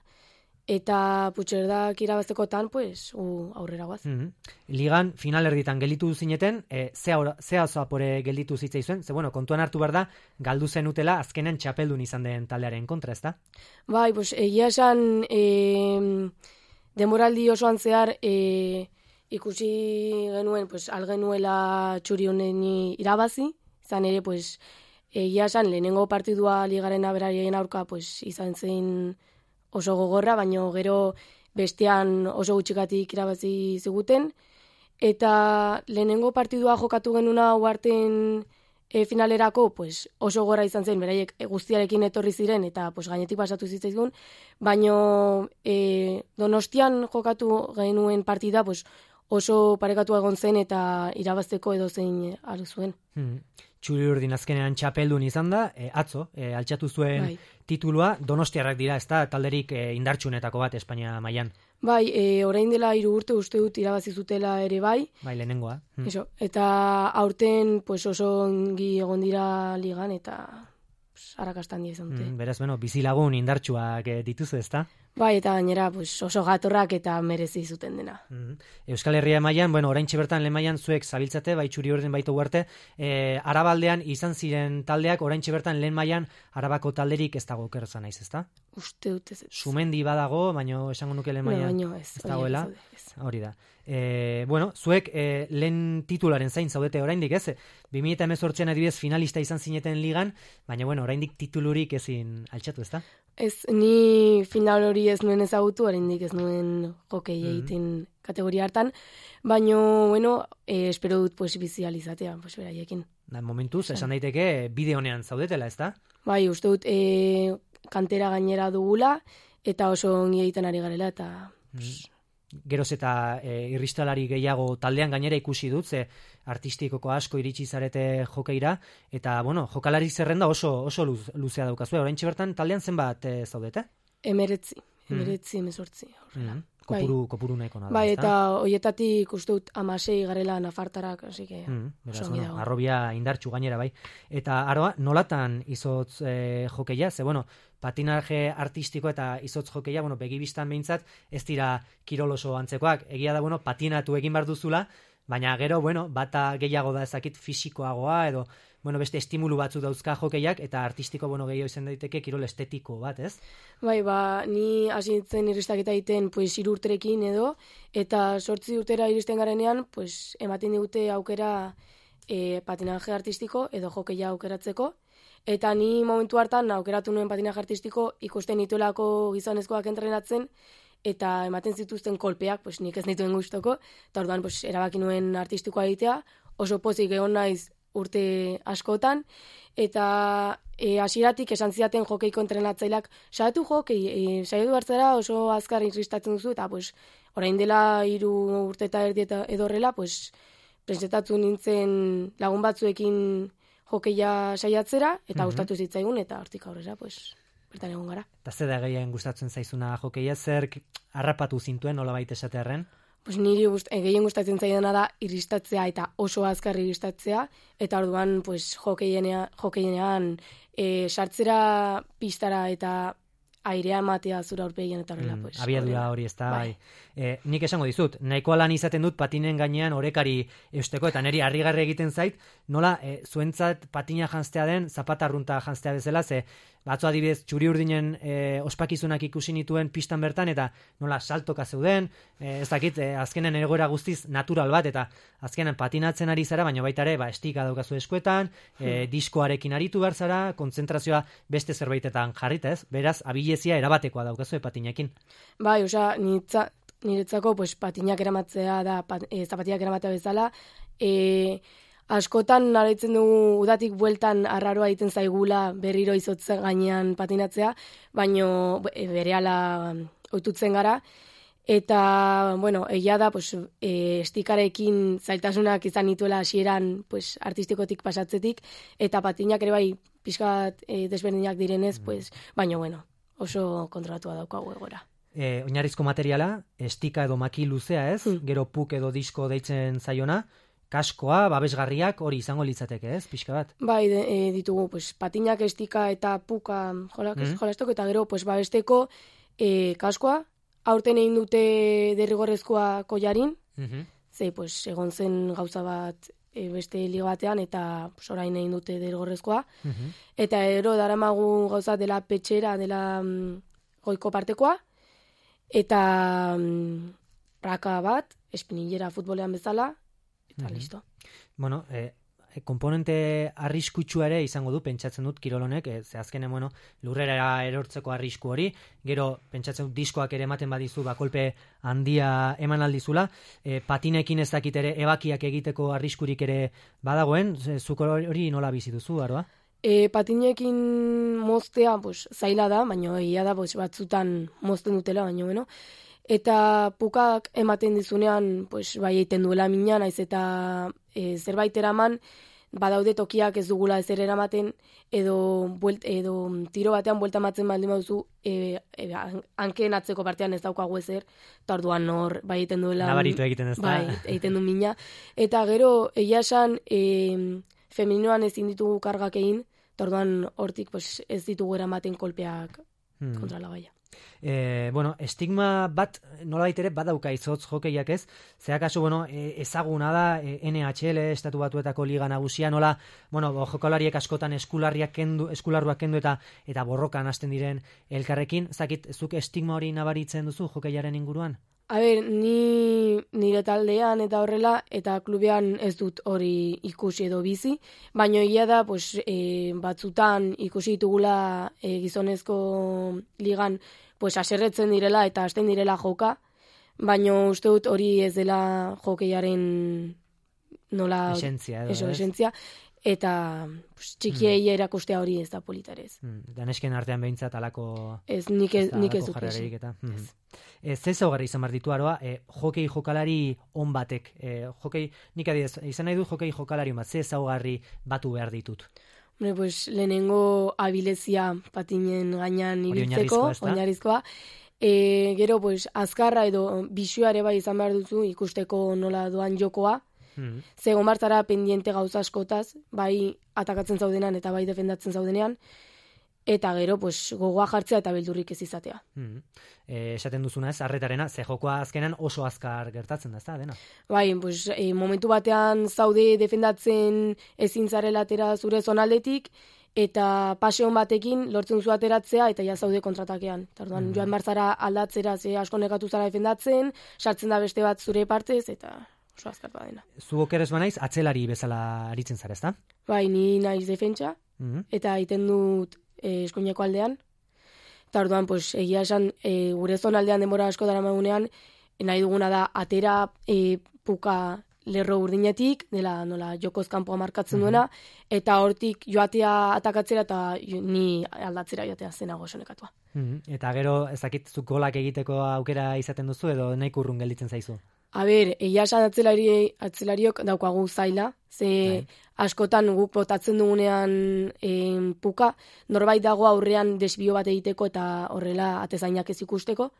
eta Puigcerdak irabaztekotan, pues, u aurrera guaz. Mm-hmm. Ligan final erditan gelditu zineten, e, zea oso apore gelditu zitzaizuen, ze bueno, kontuan hartu behar da, galdu zenutela azkenean txapeldun izan den taldearen kontra, ezta? Bai, pues, egia esan e, demoraldi osoan zehar e, ikusi genuen, pues, algenuela txuri honen irabazi, izan ere, pues, egia esan lehenengo partidua ligaren aberarien aurka, pues, izan zen oso gogorra, baino gero bestean oso gutxikatik irabazi ziguten, eta lehenengo partidua jokatu genuna uarten e, finalerako pues, oso gogorra izan zen, beraiek guztiarekin etorri ziren, eta pues, gainetik pasatu zitzaizun, baino e, Donostian jokatu genuen partida pues, oso parekatua egon zen, eta irabazteko edo zein alu zuen. Hmm. Txuri urdin azkenean txapeldun izan da, e, atzo, e, altxatu zuen bai. Titulua, Donostiarrak dira, ez da, talderik e, indartsunetako bat Espainia mailan. Bai, e, orain dela hiru urte uste dut irabazi zutela ere bai. Bai, lehenengoa. Hmm. Eso, eta aurten pues, oso ongi egon dira ligan, eta pues, arrakastan dia izan dute. Hmm, beraz, bueno, bizilagun indartsuak e, dituzu, ez da? Bai, eta gainera pues, oso gatorrak eta merezi zuten dena. Mm-hmm. Euskal Herria mailan, bueno, oraintxe bertan lehen mailan zuek zabiltzate, bai txuri orden baita uarte, e, Arabaldean izan ziren taldeak, oraintxe bertan lehen mailan Arabako talderik ez dago okerza naiz, ezta? Uste dut ez. Sumendi badago, baina esango nuke lehen mailan no, ez, ez dagoela. Hori da. E, bueno, zuek e, lehen titularen zain zaudete oraindik, ez? bi mila hemezortzian adibidez finalista izan zineten ligan, baina bueno, oraindik titulurik ezin altxatu, ezta? Ez, ni final hori ez nuen ezagutu, oraindik ez nuen jokei egiten mm-hmm. kategoria hartan, baina, bueno, e, espero dut pues, bizializatea, pues, beraiekin. Da, momentuz, esan daiteke, bide honean zaudetela, ezta? Bai, uste dut, e, kantera gainera dugula, eta oso ongi egiten ari garela, eta... Mm-hmm. Geroz eta e, irristalari gehiago taldean gainera ikusi dut, ze artistikoko asko iritsi zarete jokeira, eta, bueno, jokalari zerrenda oso, oso luz, luzea daukazue. Oraintxe bertan taldean zenbat e, zaudete? Emeretzi, emeretzi, mm. emezortzi. Mm. Kopuru, bai. Kopuru nahiko nada. Bai, eta hoietatik uste dut amasei garela nafartarak, hasi que... Mm, beraz, bueno, arrobia indartxu gainera, bai. Eta, aroa, nolatan izotz e, jokeia? Ze, bueno, patinaje artistiko eta izotz jokeia, bueno, begibistan behintzat, ez dira kirol oso antzekoak. Egia da, bueno, patinatu egin behar duzula, baina gero, bueno, bata gehiago da ezakit fisikoagoa, edo, bueno, beste estimulu batzu dauzka hokeiak, eta artistiko, bueno, gehiago izan daiteke kirol estetiko bat, ez? Bai, ba, ni hasi nintzen irristaketa egiten, pues, hiru urterekin edo, eta sortzi urtera iristen garenean, pues, ematen digute aukera e, patinaje artistiko edo hokeia aukeratzeko, eta ni momentu hartan aukeratu nuen patinaje artistiko ikusten nituelako gizonezkoak entrenatzen, eta ematen zituzten kolpeak, pues, nik ez nituen gustoko, eta orduan pues, erabaki nuen artistikoa egitea, oso pozik egon naiz urte askotan, eta e, hasieratik esan zidaten jokeiko entrenatzaileak, saiatu jokei, e, saiatu hartzera oso azkar irristatzen duzu, eta pues, orain dela hiru urte eta erdi eta edorrela, pues, presentatu nintzen lagun batzuekin jokeia saiatzera, eta Mhm. gustatu zitzaigun, eta hortik aurrera, pues, bertan egon gara. Eta ze da gehien gustatzen zaizuna jokeia, zerk harrapatu zintuen, nolabait esatearren? Pues niri gust, e, gehien gustatzen zaidana da irristatzea eta oso azkar irristatzea, eta orduan pues, jokeienean, jokeienean e, sartzera pistara eta airea ematea zura aurpegian eta horrela. Mm, Pues, abiadura horrela. hori ez da, Bai. bai. E, nik esango dizut, nahikoa lan izaten dut patinen gainean orekari eusteko, eta niri harrigarri egiten zait, nola e, zuentzat patina janztea den, zapata arrunta janztea bezala, ze batzu adibidez txuri urdinen e, ospakizunak ikusi nituen pistan bertan, eta nola saltoka zeuden, e, ez dakit, e, azkenen egoera guztiz natural bat, eta azkenen patinatzen ari zara, baina baita ere, ba, estika daukazu eskuetan, e, Hmm. diskoarekin aritu behar zara, kontzentrazioa beste zerbaitetan jarrita, ez? Beraz, abilezia erabatekoa daukazu patinekin. Bai, osea, nitza, niretzako pues, patinak eramatzea da, pat, e, zapatiak eramatea bezala, e, askotan naraitzen dugu udatik bueltan arraroa egiten zaigula berriro izotzen gainean patinatzea, baino e, berehala ohitutzen gara, eta, bueno, egia da, pues, e, estikarekin zailtasunak izan nituela hasieran pues, artistikotik pasatzetik, eta patinak ere bai pixkat e, desberdinak direnez, pues, baino, bueno, oso kontrolatua daukagu egora. E, oinarrizko materiala, estika edo maki luzea ez, gero puk edo disko deitzen zaiona, kaskoa, babesgarriak, hori izango litzateke ez, pixka bat. Bai, de, e, ditugu, pues, patinak, estika eta puka jolak, Mhm. jolastoko, eta gero, pues, babesteko e, kaskoa, aurten egin dute derrigorrezkoa kollarin, Mhm. ze, pues, egon zen gauza bat e, beste liga batean, eta pues, orain egin dute derrigorrezkoa, Mhm. eta ero daramagu gauza dela petxera, dela mm, goiko partekoa, eta mm, raka bat, espinillera futbolean bezala, eta Mhm. listo. Bueno, e, e, komponente arriskutsua ere izango du, pentsatzen dut kirolonek, e, ze azkenen, bueno, lurrera erortzeko arrisku hori, gero pentsatzen dut diskoak ere ematen badizu, ba, kolpe handia eman aldizula, e, patinekin ez dakit ere ebakiak egiteko arriskurik ere badagoen, ze, zuk hori nola bizi duzu, Aroa? E, patinekin moztea, pues, zaila da, baina egia da pues, batzutan mozten dutela, baina bueno. Eta pukak ematen dizunean, pues, bai egiten duela mina, naiz eta e, zerbait eraman, badaude tokiak ez dugula ezer eramaten, edo, buelt, edo tiro batean buelta matzen baldin baduzu, e, e, hankeen atzeko partean ez daukagu ezer, eta orduan hor, bai egiten duela... Nabaritu egiten ez da. Bai, egiten du mina. Eta gero, egia esan, e, femeninoan ezin ditugu kargak egin, eta orduan hortik pues, ez ditugu eramaten kolpeak Hmm. kontra la gaia. E, bueno, estigma bat nolabait ere badauka izotz jokeiak ez, zeakaso, bueno, e, ezaguna da e, N H L, estatu batuetako liga nagusia, nola, bueno, jokalariek askotan eskularriak kendu, eskularruak kendu eta eta borrokan hasten diren elkarrekin, zakit, zuk estigma hori nabaritzen duzu jokeiaren inguruan? A ber, ni nire taldean eta horrela, eta klubean ez dut hori ikusi edo bizi, baina egia da, pues, e, batzutan ikusi ditugula e, gizonezko ligan, pues, aserretzen direla eta hasten direla joka, baina uste dut hori ez dela jokeiaren nola... Esentzia edo, eso, ez? esentzia, eta pues, txikiei erakustea hori ez da politarez. Hmm, danesken artean behintzat alako... Ez, nik ez, da nik ez halako dut jarrerarik esan. eta... Hmm. E, ze zaugarri izan behar ditu, Aroa, e, jokei jokalari on batek, e, jokei, nik adiez, izan nahi du jokei jokalari on bat, ze zaugarri batu behar ditut? Hombre, pues, lehenengo abilezia patinen gainean Hori ibiltzeko, oinarrizkoa, ezta? oinarrizkoa. E, gero, pues, azkarra edo bisua ere bai izan behar duzu ikusteko nola doan jokoa. Hmm. Zegon bartzara pendiente gauza askotaz, bai atakatzen zaudenean eta bai defendatzen zaudenean. eta gero pues, gogoa jartzea eta beldurrik ez izatea. Mm. E, esaten duzuna ez, arretarena, ze jokoa azkenan oso azkar gertatzen da, ez da, dena? Bai, pues, e, momentu batean zaude defendatzen ezin zarela atera zure zonaldetik, eta paseon batekin lortzen duzu ateratzea, eta ja zaude kontratakean. Eta orduan, mm. joan barzara aldatzera, ze asko nekatu zara defendatzen, sartzen da beste bat zure partez, eta oso azkar dena. Zu okeres banaiz, atzelari bezala aritzen zara, ez da? Bai, ni naiz defentsa, mm-hmm. eta egiten dut e, eskuineko aldean. Eta orduan, pues, egia esan, e, gure zonaldean denbora asko dara magunean, nahi duguna da, atera e, puka lerro urdinetik, dela nola jokoz kanpoa markatzen duena, mm-hmm. eta hortik joatea atakatzera eta ni aldatzera joatea zenago sonekatua. Mm-hmm. Eta gero, ezakit zuk golak egiteko aukera izaten duzu, edo nahi kurrun gelditzen zaizu? A ber, egia esan atzelari, atzelariok daukagu zaila, ze Hai. askotan guk botatzen dugunean en, puka, norbait dago aurrean desbio bat egiteko eta horrela atezainak ez ikusteko,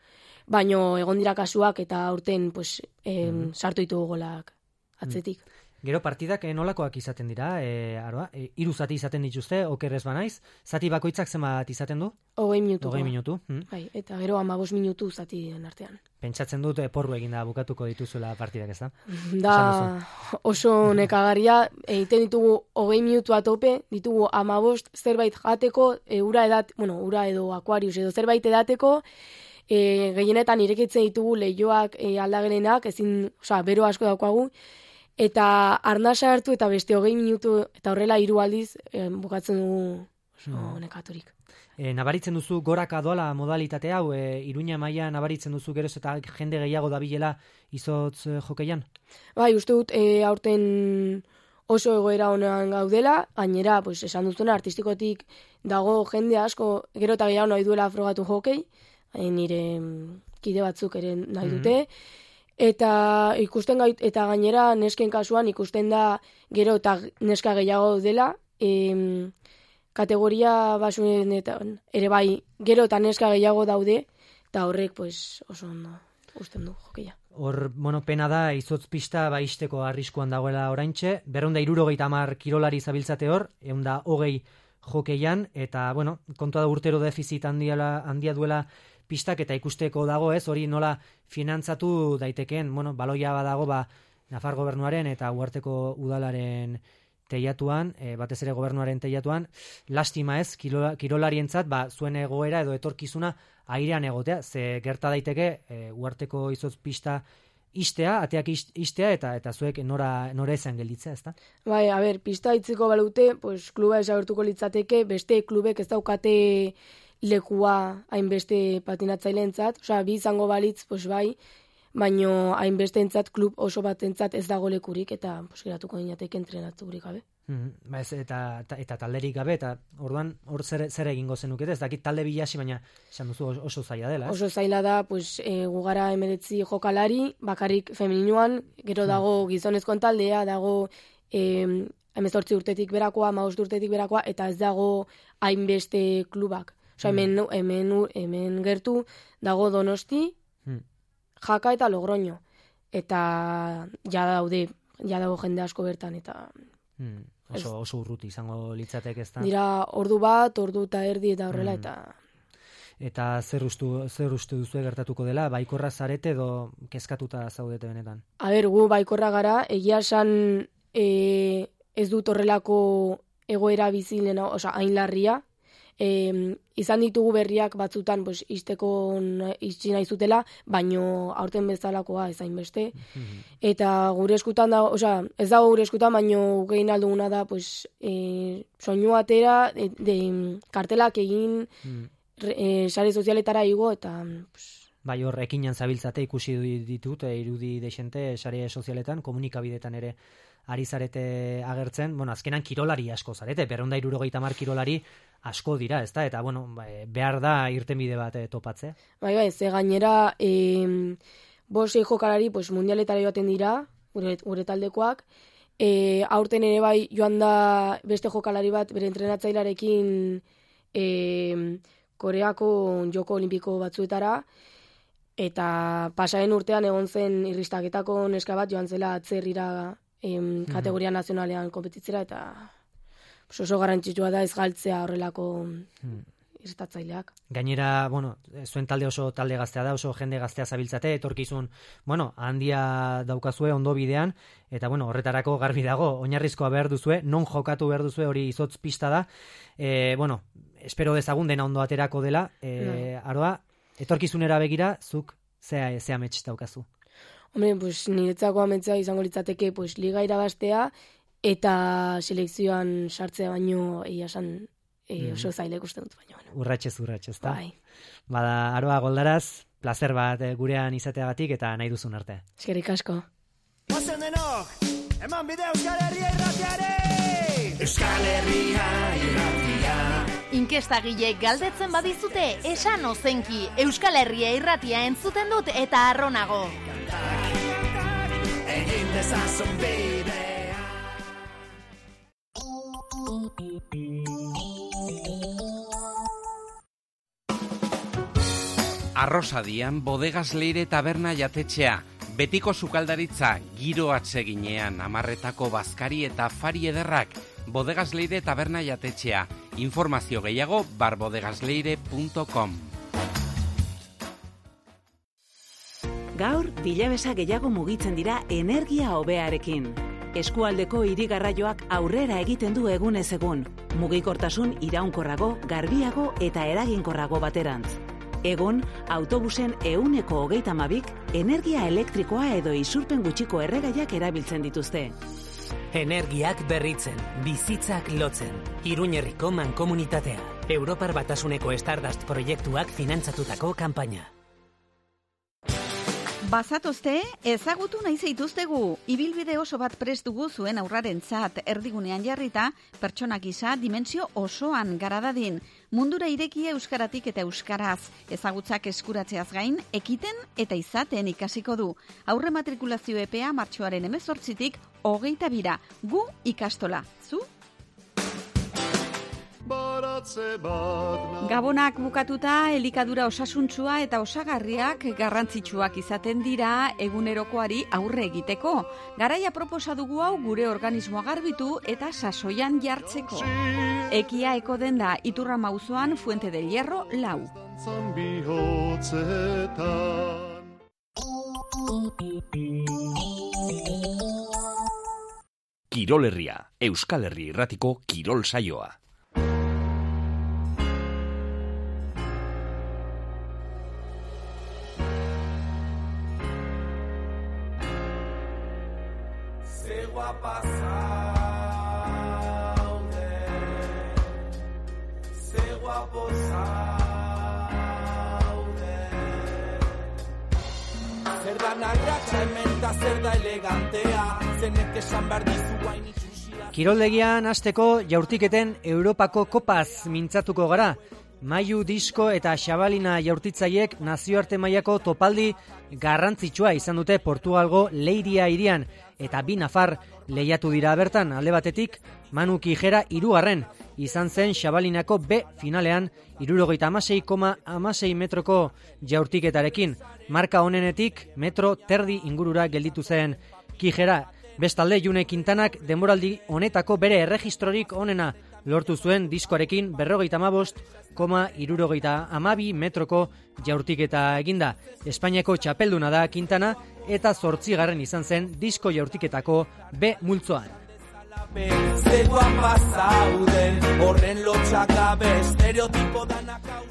baino egon dira kasuak eta aurten pues, em, mm-hmm. sartu ditugu golak atzetik. Mm. Gero partidak nolakoak izaten dira, e, aroa, e, hiru zati izaten dituzte, okerrez banaiz, zati bakoitzak zenbat izaten du? Hogei minutu. Hogei minutu. Mm. Bai, eta gero hamabost minutu zatien artean. Pentsatzen dut porru eginda bukatuko dituzuela partidak, ez da? Da oso nekagarria, egiten ditugu hogei minutu atope, ditugu hamabost zerbait jateko, e, ura edat, bueno, ura edo akuarius edo zerbait edateko, e, gehienetan irekitzen ditugu lehioak e, aldagelenak, ezin, osea, bero asko daukagu, eta arnasa hartu eta beste hogei minutu eta horrela hiru aldiz eh, bukatzen dugu oso no. nekaturik. E, nabaritzen duzu goraka doala modalitate hau, e, Iruña maila nabaritzen duzu geroz eta jende gehiago dabilela izotz e, jokeian? Bai, uste dut e, aurten oso egoera honean gaudela, gainera, pues, esan duzuna, artistikotik dago jende asko, gero eta gehiago nahi duela frogatu hokei, nire kide batzuk ere nahi dute, mm-hmm. Eta ikusten gait, eta gainera nesken kasuan ikusten da gero eta neska gehiago dela, em, kategoria basunetan ere bai gero eta neska gehiago daude, eta horrek pues, oso ondo usten du jokeia. Hor, bueno, pena da izotz pista baisteko arriskuan dagoela oraintxe, berrehun eta hirurogeita hamar kirolari zabiltzate hor, ehun eta hogei jokeian, eta bueno, kontua da urtero defizit handia, handia duela pistak eta ikusteko dago ez, hori nola finantzatu daitekeen, bueno, baloia badago ba, Nafar gobernuaren eta Uharteko udalaren teiatuan, e, batez ere gobernuaren teiatuan, lastima ez, kirola, kirolarientzat, ba, zuen egoera edo etorkizuna airean egotea, ze gerta daiteke e, Uharteko izotz pista istea, ateak istea eta eta zuek nora, nora ezan gelditzea, ezta? Bai, a ber, pista itziko balute, pues, kluba esagertuko litzateke, beste klubek ez daukate lekua hainbeste patinatzaileentzat, osea, bi izango balitz, pues bai, baino hainbesteentzat klub oso batentzat ez dago lekurik eta pues geratuko dinateke entrenaturik gabe. Mm-hmm. Ba ez, eta, eta, eta talderik gabe, eta orduan hor zer, zer egingo zenukete, ez dakit talde bilasi, baina esan duzu oso zaila dela. Ez? Oso zaila da, pues, e, gugara emeretzi jokalari, bakarrik femeninoan, gero dago gizonezkoen taldea, dago e, hemezortzi urtetik berakoa, hamabost urtetik berakoa, eta ez dago hainbeste klubak. Osa, hemen, hemen, hemen gertu dago Donosti, hmm. Jaka eta Logroño. Eta ja daude, ja dago jende asko bertan. Eta hmm. Oso, oso urruti izango litzatek ez da. Dira ordu bat, ordu eta erdi eta horrela. Hmm. Eta eta zer ustu, zer ustu duzu gertatuko dela? Baikorra zarete edo kezkatuta zaudete benetan? A ber, gu baikorra gara, egia esan e, ez dut horrelako egoera bizilena, oza, hain larria. E, izan ditugu berriak batzutan pues, izteko izti nahi zutela, baino aurten bezalakoa ezain beste. Mm-hmm. Eta gure eskutan da, osea, ez dago gure eskutan, baino gehin alduguna da, pues, e, soinu atera, de, de, kartelak egin, mm. e, sare sozialetara igo, eta... Pues, bai, hor, ekinan zabiltzate ikusi ditut, e, irudi deixente sare sozialetan, komunikabidetan ere ari zarete agertzen, bueno, azkenan kirolari asko zarete, berrehun eta hirurogeita hamar kirolari asko dira, ezta? Eta, bueno, behar da irtenbide bat e, topatzea. Bai, bai, ze gainera, e, bosei jokalari, pues, mundialetara joaten dira, gure, gure taldekoak, e, aurten ere bai joan da beste jokalari bat, bere entrenatzailarekin e, Koreako joko olimpiko batzuetara, eta pasaren urtean egon zen irristaketako neska bat joan zela atzerrira em, kategoria nazionalean kompetitzera, eta oso garrantzitsua da ez galtzea horrelako hmm. irritatzaileak. Gainera, bueno, zuen talde oso talde gaztea da, oso jende gaztea zabiltzate, etorkizun, bueno, handia daukazue ondo bidean, eta bueno, horretarako garbi dago, oinarrizkoa behar duzue, non jokatu behar duzue, hori izotz pista da, e, bueno, espero dezagun dena ondo aterako dela, e, no. Aroa, etorkizunera begira, zuk zea, zea metx daukazu? Hombre, pues, niretzako ametsa izango litzateke, pues, liga irabaztea, eta selekzioan sartzea baino, egia esan, e, oso zaila ikusten dut baino. Bueno. Urratxez, urratxez, da? Bai. Bada, Aroa Goldaraz, placer bat gurean izateagatik eta nahi duzun arte. Eskerrik asko. Ozen denok, eman bide Euskal Herria irratiare! Euskal Herria irratia. Inkestagilek galdetzen badizute, esan ozenki, Euskal Herria irratia entzuten dut eta arronago. Egin dezazun bidea. Arrosadian, Bodegas Leire taberna jatetxea, betiko sukaldaritza, giro atseginean, amarretako bazkari eta afari ederrak, Bodegas Leire taberna jatetxea, informazio gehiago barbodegasleire punto com. Gaur, bilabesa gehiago mugitzen dira energia hobearekin. Eskualdeko hirigarraioak aurrera egiten du egunez egun, mugikortasun iraunkorrago, garbiago eta eraginkorrago baterantz. Egun, autobusen ehuneko hogeita hamabik energia elektrikoa edo isurpen gutxiko erregaiak erabiltzen dituzte. Energiak berritzen, bizitzak lotzen. Iruñerriko mankomunitatea. Europar Batasuneko Stardust proiektuak finantzatutako kanpaina. Bazatozte, ezagutu nahi zaituztegu. Ibilbide oso bat prest dugu zuen aurrarentzat, erdigunean jarrita, pertsona gisa dimensio osoan gara dadin. Mundura irekia euskaratik eta euskaraz, ezagutzak eskuratzeaz gain, ekiten eta izaten ikasiko du. Aurre matrikulazio epea martxoaren hemezortzitik hogeita bira. Gu ikastola. Zu? Gabonak bukatuta, elikadura osasuntsua eta osagarriak garrantzitsuak izaten dira egunerokoari aurre egiteko. Garaia proposa dugu hau gure organismoa garbitu eta sasoian jartzeko. Ekia eko denda Iturrama auzoan Fuente del Hierro lau. Kirol Herria, Euskal Herri irratiko kirol saioa. Kiroldegian hasteko jaurtiketen Europako kopaz mintzatuko gara. Maiu Disko eta Xabalina jaurtitzaiek nazioarte mailako topaldi garrantzitsua izan dute Portugalgo Leiria hirian eta bi nafar lehiatu dira bertan. Alde batetik Manu Kijera hirugarren izan zen Xabalinako B finalean hirurogeita hamasei koma hamasei metroko jaurtiketarekin. Marka honenetik metro terdi ingurura gelditu zen Kijera. Bestalde June Quintanak denboraldi honetako bere erregistrorik onena lortu zuen diskoarekin berrogeita hamabost koma hirurogeita hamabi metroko jaurtiketa eginda. Espainiako txapelduna da Quintana eta zortzigarren izan zen disko jaurtiketako B multzoan.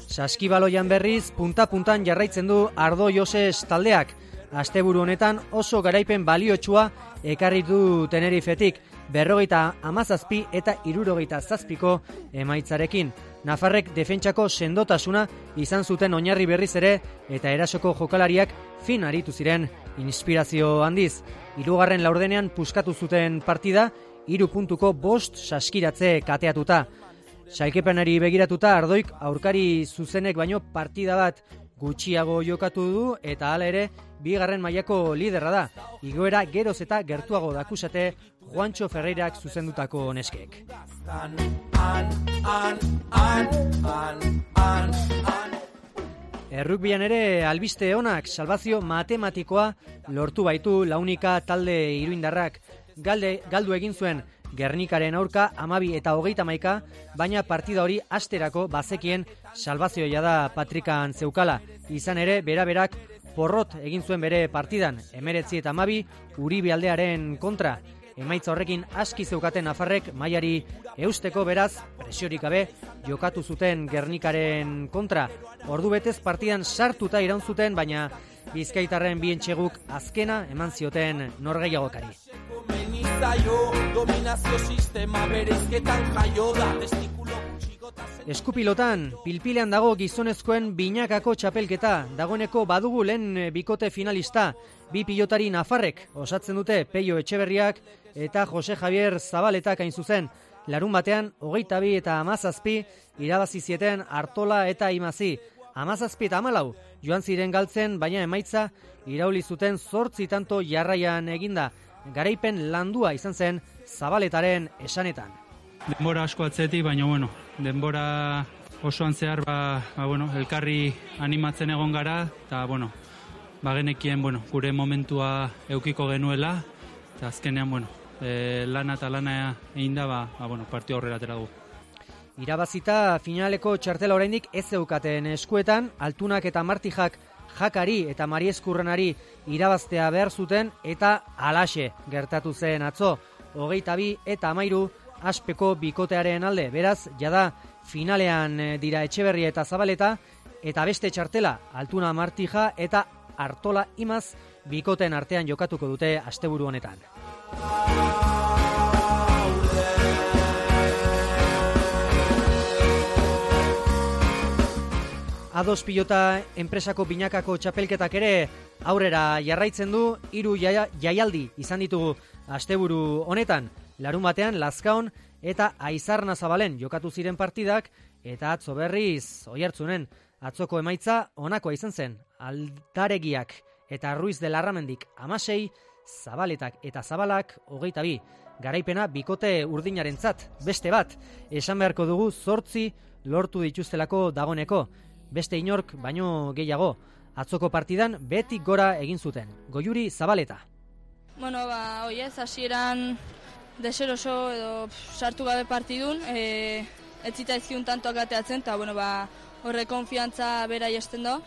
Saskibaloian berriz punta-puntan jarraitzen du Ardo Joses taldeak. Asteburu honetan oso garaipen baliotsua ekarri du Tenerifetik, berrogeita hamazazpi eta hirurogeita zazpiko emaitzarekin. Nafarrek defentsako sendotasuna izan zuten oinarri berriz ere eta erasoko jokalariak fin aritu ziren inspirazio handiz. Hirugarren laurdenean puskatu zuten partida, hiru puntuko bost saskiratze kateatuta. Sailkapenari begiratuta Ardoik aurkari zuzenek baino partida bat gutxiago jokatu du eta hala ere bigarren mailako liderra da. Igoera geroz eta gertuago dakusate Juancho Ferreirak zuzendutako neskek. Errukbian ere albiste onak, salbazio matematikoa lortu baitu Launika talde iruindarrak. Galde, galdu egin zuen Gernikaren aurka amabi eta hogeita hamaika, baina partida hori asterako bazekien salvazioa da Patrikan zeukala. Izan ere, bera-berak porrot egin zuen bere partidan, emeretzi eta amabi, Uribe aldearen kontra. Emaitza horrekin aski zeukaten nafarrek mailari eusteko, beraz, presiorik gabe jokatu zuten Gernikaren kontra. Ordu betez partidan sartuta iraun zuten, baina Bizkaitarren bien txeguk azkena eman zioten norgehiagokari. Eskupilotan, pilpilean dago gizonezkoen binakako txapelketa, dagoeneko badugu lehen bikote finalista, bi pilotari nafarrek osatzen dute Peio Etxeberriak eta Jose Javier Zabaletak hain zuzen. Larun batean, hogeita bi eta amazazpi irabazi zieten Artola eta Imazi. Amazazpi eta amalau joan ziren galtzen, baina emaitza irauli zuten zortzi tanto jarraian eginda. Garaipen landua izan zen Zabaletaren esanetan. Denbora asko atzetik, baina bueno, denbora osoan zehar ba, ba, bueno, elkarri animatzen egon gara, eta bueno, bagenekien bueno, gure momentua eukiko genuela, eta azkenean bueno, e, lana eta lana egin da, ba, ba, bueno, partio aurrera atera dugu. Irabazita finaleko txartela oraindik ez zeukaten eskuetan, Altunak eta Martijak Jakari eta Marieskurrenari irabaztea behar zuten, eta halaxe gertatu zen atzo. Hogeita bi eta amairu aspeko bikotearen alde, beraz, jada finalean dira Etxeberria eta Zabaleta, eta beste txartela Altuna Martija eta Artola Imaz bikoteen artean jokatuko dute asteburu honetan. Ados pilota enpresako binakako txapelketak ere aurrera jarraitzen du, hiru jaia, jaialdi izan ditugu asteburu honetan. Larun batean Lazkaon eta Aizarna Zabalen jokatu ziren partidak, eta atzo berriz Oiartzunen atzoko emaitza honakoa izan zen. Aldaregiak eta Ruiz de Larramendik amasei, Zabaletak eta Zabalak hogeita bi. Garaipena bikote urdinarentzat, beste bat, esan beharko dugu zortzi lortu dituztelako dagoneko. Beste inork baino gehiago, atzoko partidan betik gora egin zuten. Goiuri Zabaleta. Bueno, ba, oi ez, hasieran deseroso edo pff, sartu gabe partidun, e, ez zitaizkiun tantoak ateatzen, eta bueno, ba, horre konfiantza bera jesten do.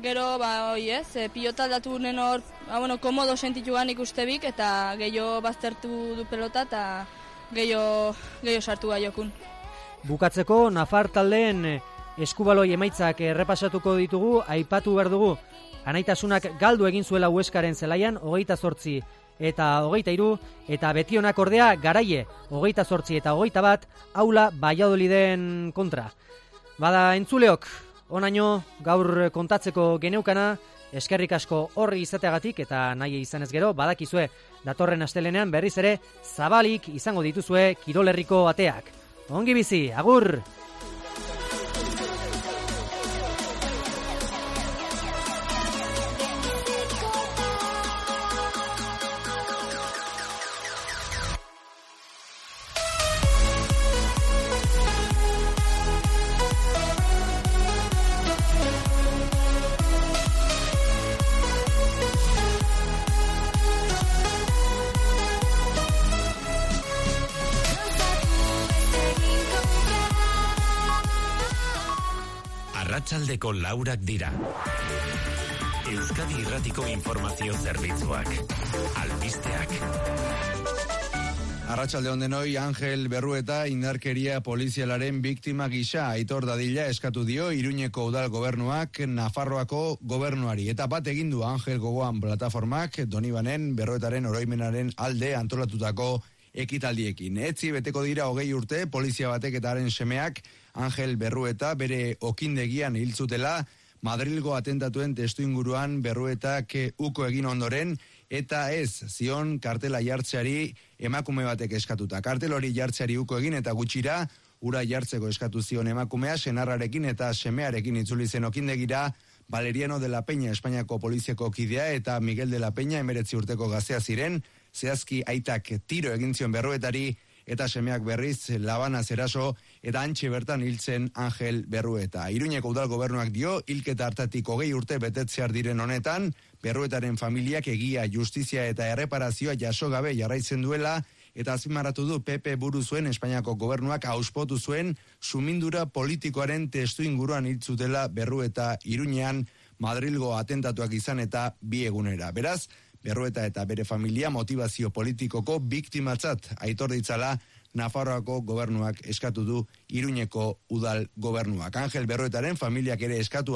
Gero, ba, oi ez, e, pilota aldatu gunen hor, ba, bueno, komodo sentitu gan ikustebik, eta gehiago baztertu du pelota, eta gehiago, gehiago sartu gaiokun. Bukatzeko, Nafar taldeen eskubaloi emaitzak errepasatuko ditugu, aipatu behar dugu. Anaitasunak galdu egin zuela Hueskaren zelaian, hogeita zortzi eta hogeita hiru, eta Betionak ordea Garaie, hogeita zortzi eta hogeita bat, Aula Valladoliden kontra. Bada entzuleok, onaino gaur kontatzeko geneukana, eskerrik asko horri izateagatik, eta nahi izan ez gero, badakizue datorren astelenean berriz ere zabalik izango dituzue Kirolerriko ateak. Ongi bizi, agur! Arratsaldeko laurak dira. Euskadi Irratiko Informazio Zerbitzuak. Albisteak. Arratsalde on denoi, Angel Berrueta indarkeria polizialaren biktima gisa Aitor Dadila eskatu dio Iruñeko udal gobernuak Nafarroako gobernuari. Eta bat egin du Angel Gogoan plataformak Donibanen Berruetaren oroimenaren alde antolatutako ekitaldiekin. Etzi beteko dira hogei urte polizia batek eta haren semeak Angel Berrueta bere okindegian hil zutela Madrilgo atentatuen testuinguruan Berruetak uko egin ondoren, eta ez zion kartela jartzeari emakume batek eskatuta. Kartel hori jartzeari uko egin eta gutxira ura jartzeko eskatu zion emakumea senarrarekin eta semearekin itzuli zen okindegira Valeriano de la Peña Espainiako poliziako kidea eta Miguel de la Peña emeretzi urteko gaztea ziren, zehazki aitak tiro egin zion Berruetari eta semeak berriz labana zeraso eta antxe bertan hiltzen Angel Berrueta. Iruñeko udal gobernuak dio, hilketa hartatik hogei urte betetzear diren honetan, Berruetaren familiak egia, justizia eta erreparazioa jaso gabe jarraitzen duela, eta azpimarratu du P P buru zuen Espainiako gobernuak auspotu zuen sumindura politikoaren testu inguruan hiltzutela Berrueta Iruñean Madrilgo atentatuak izan eta bi egunera. Beraz, Berrueta eta bere familia motivazio politikoko biktimatzat aitor ditzala Nafarroako gobernuak eskatu du Iruñeko udal gobernuak. Angel Berruetaren familiak ere eskatu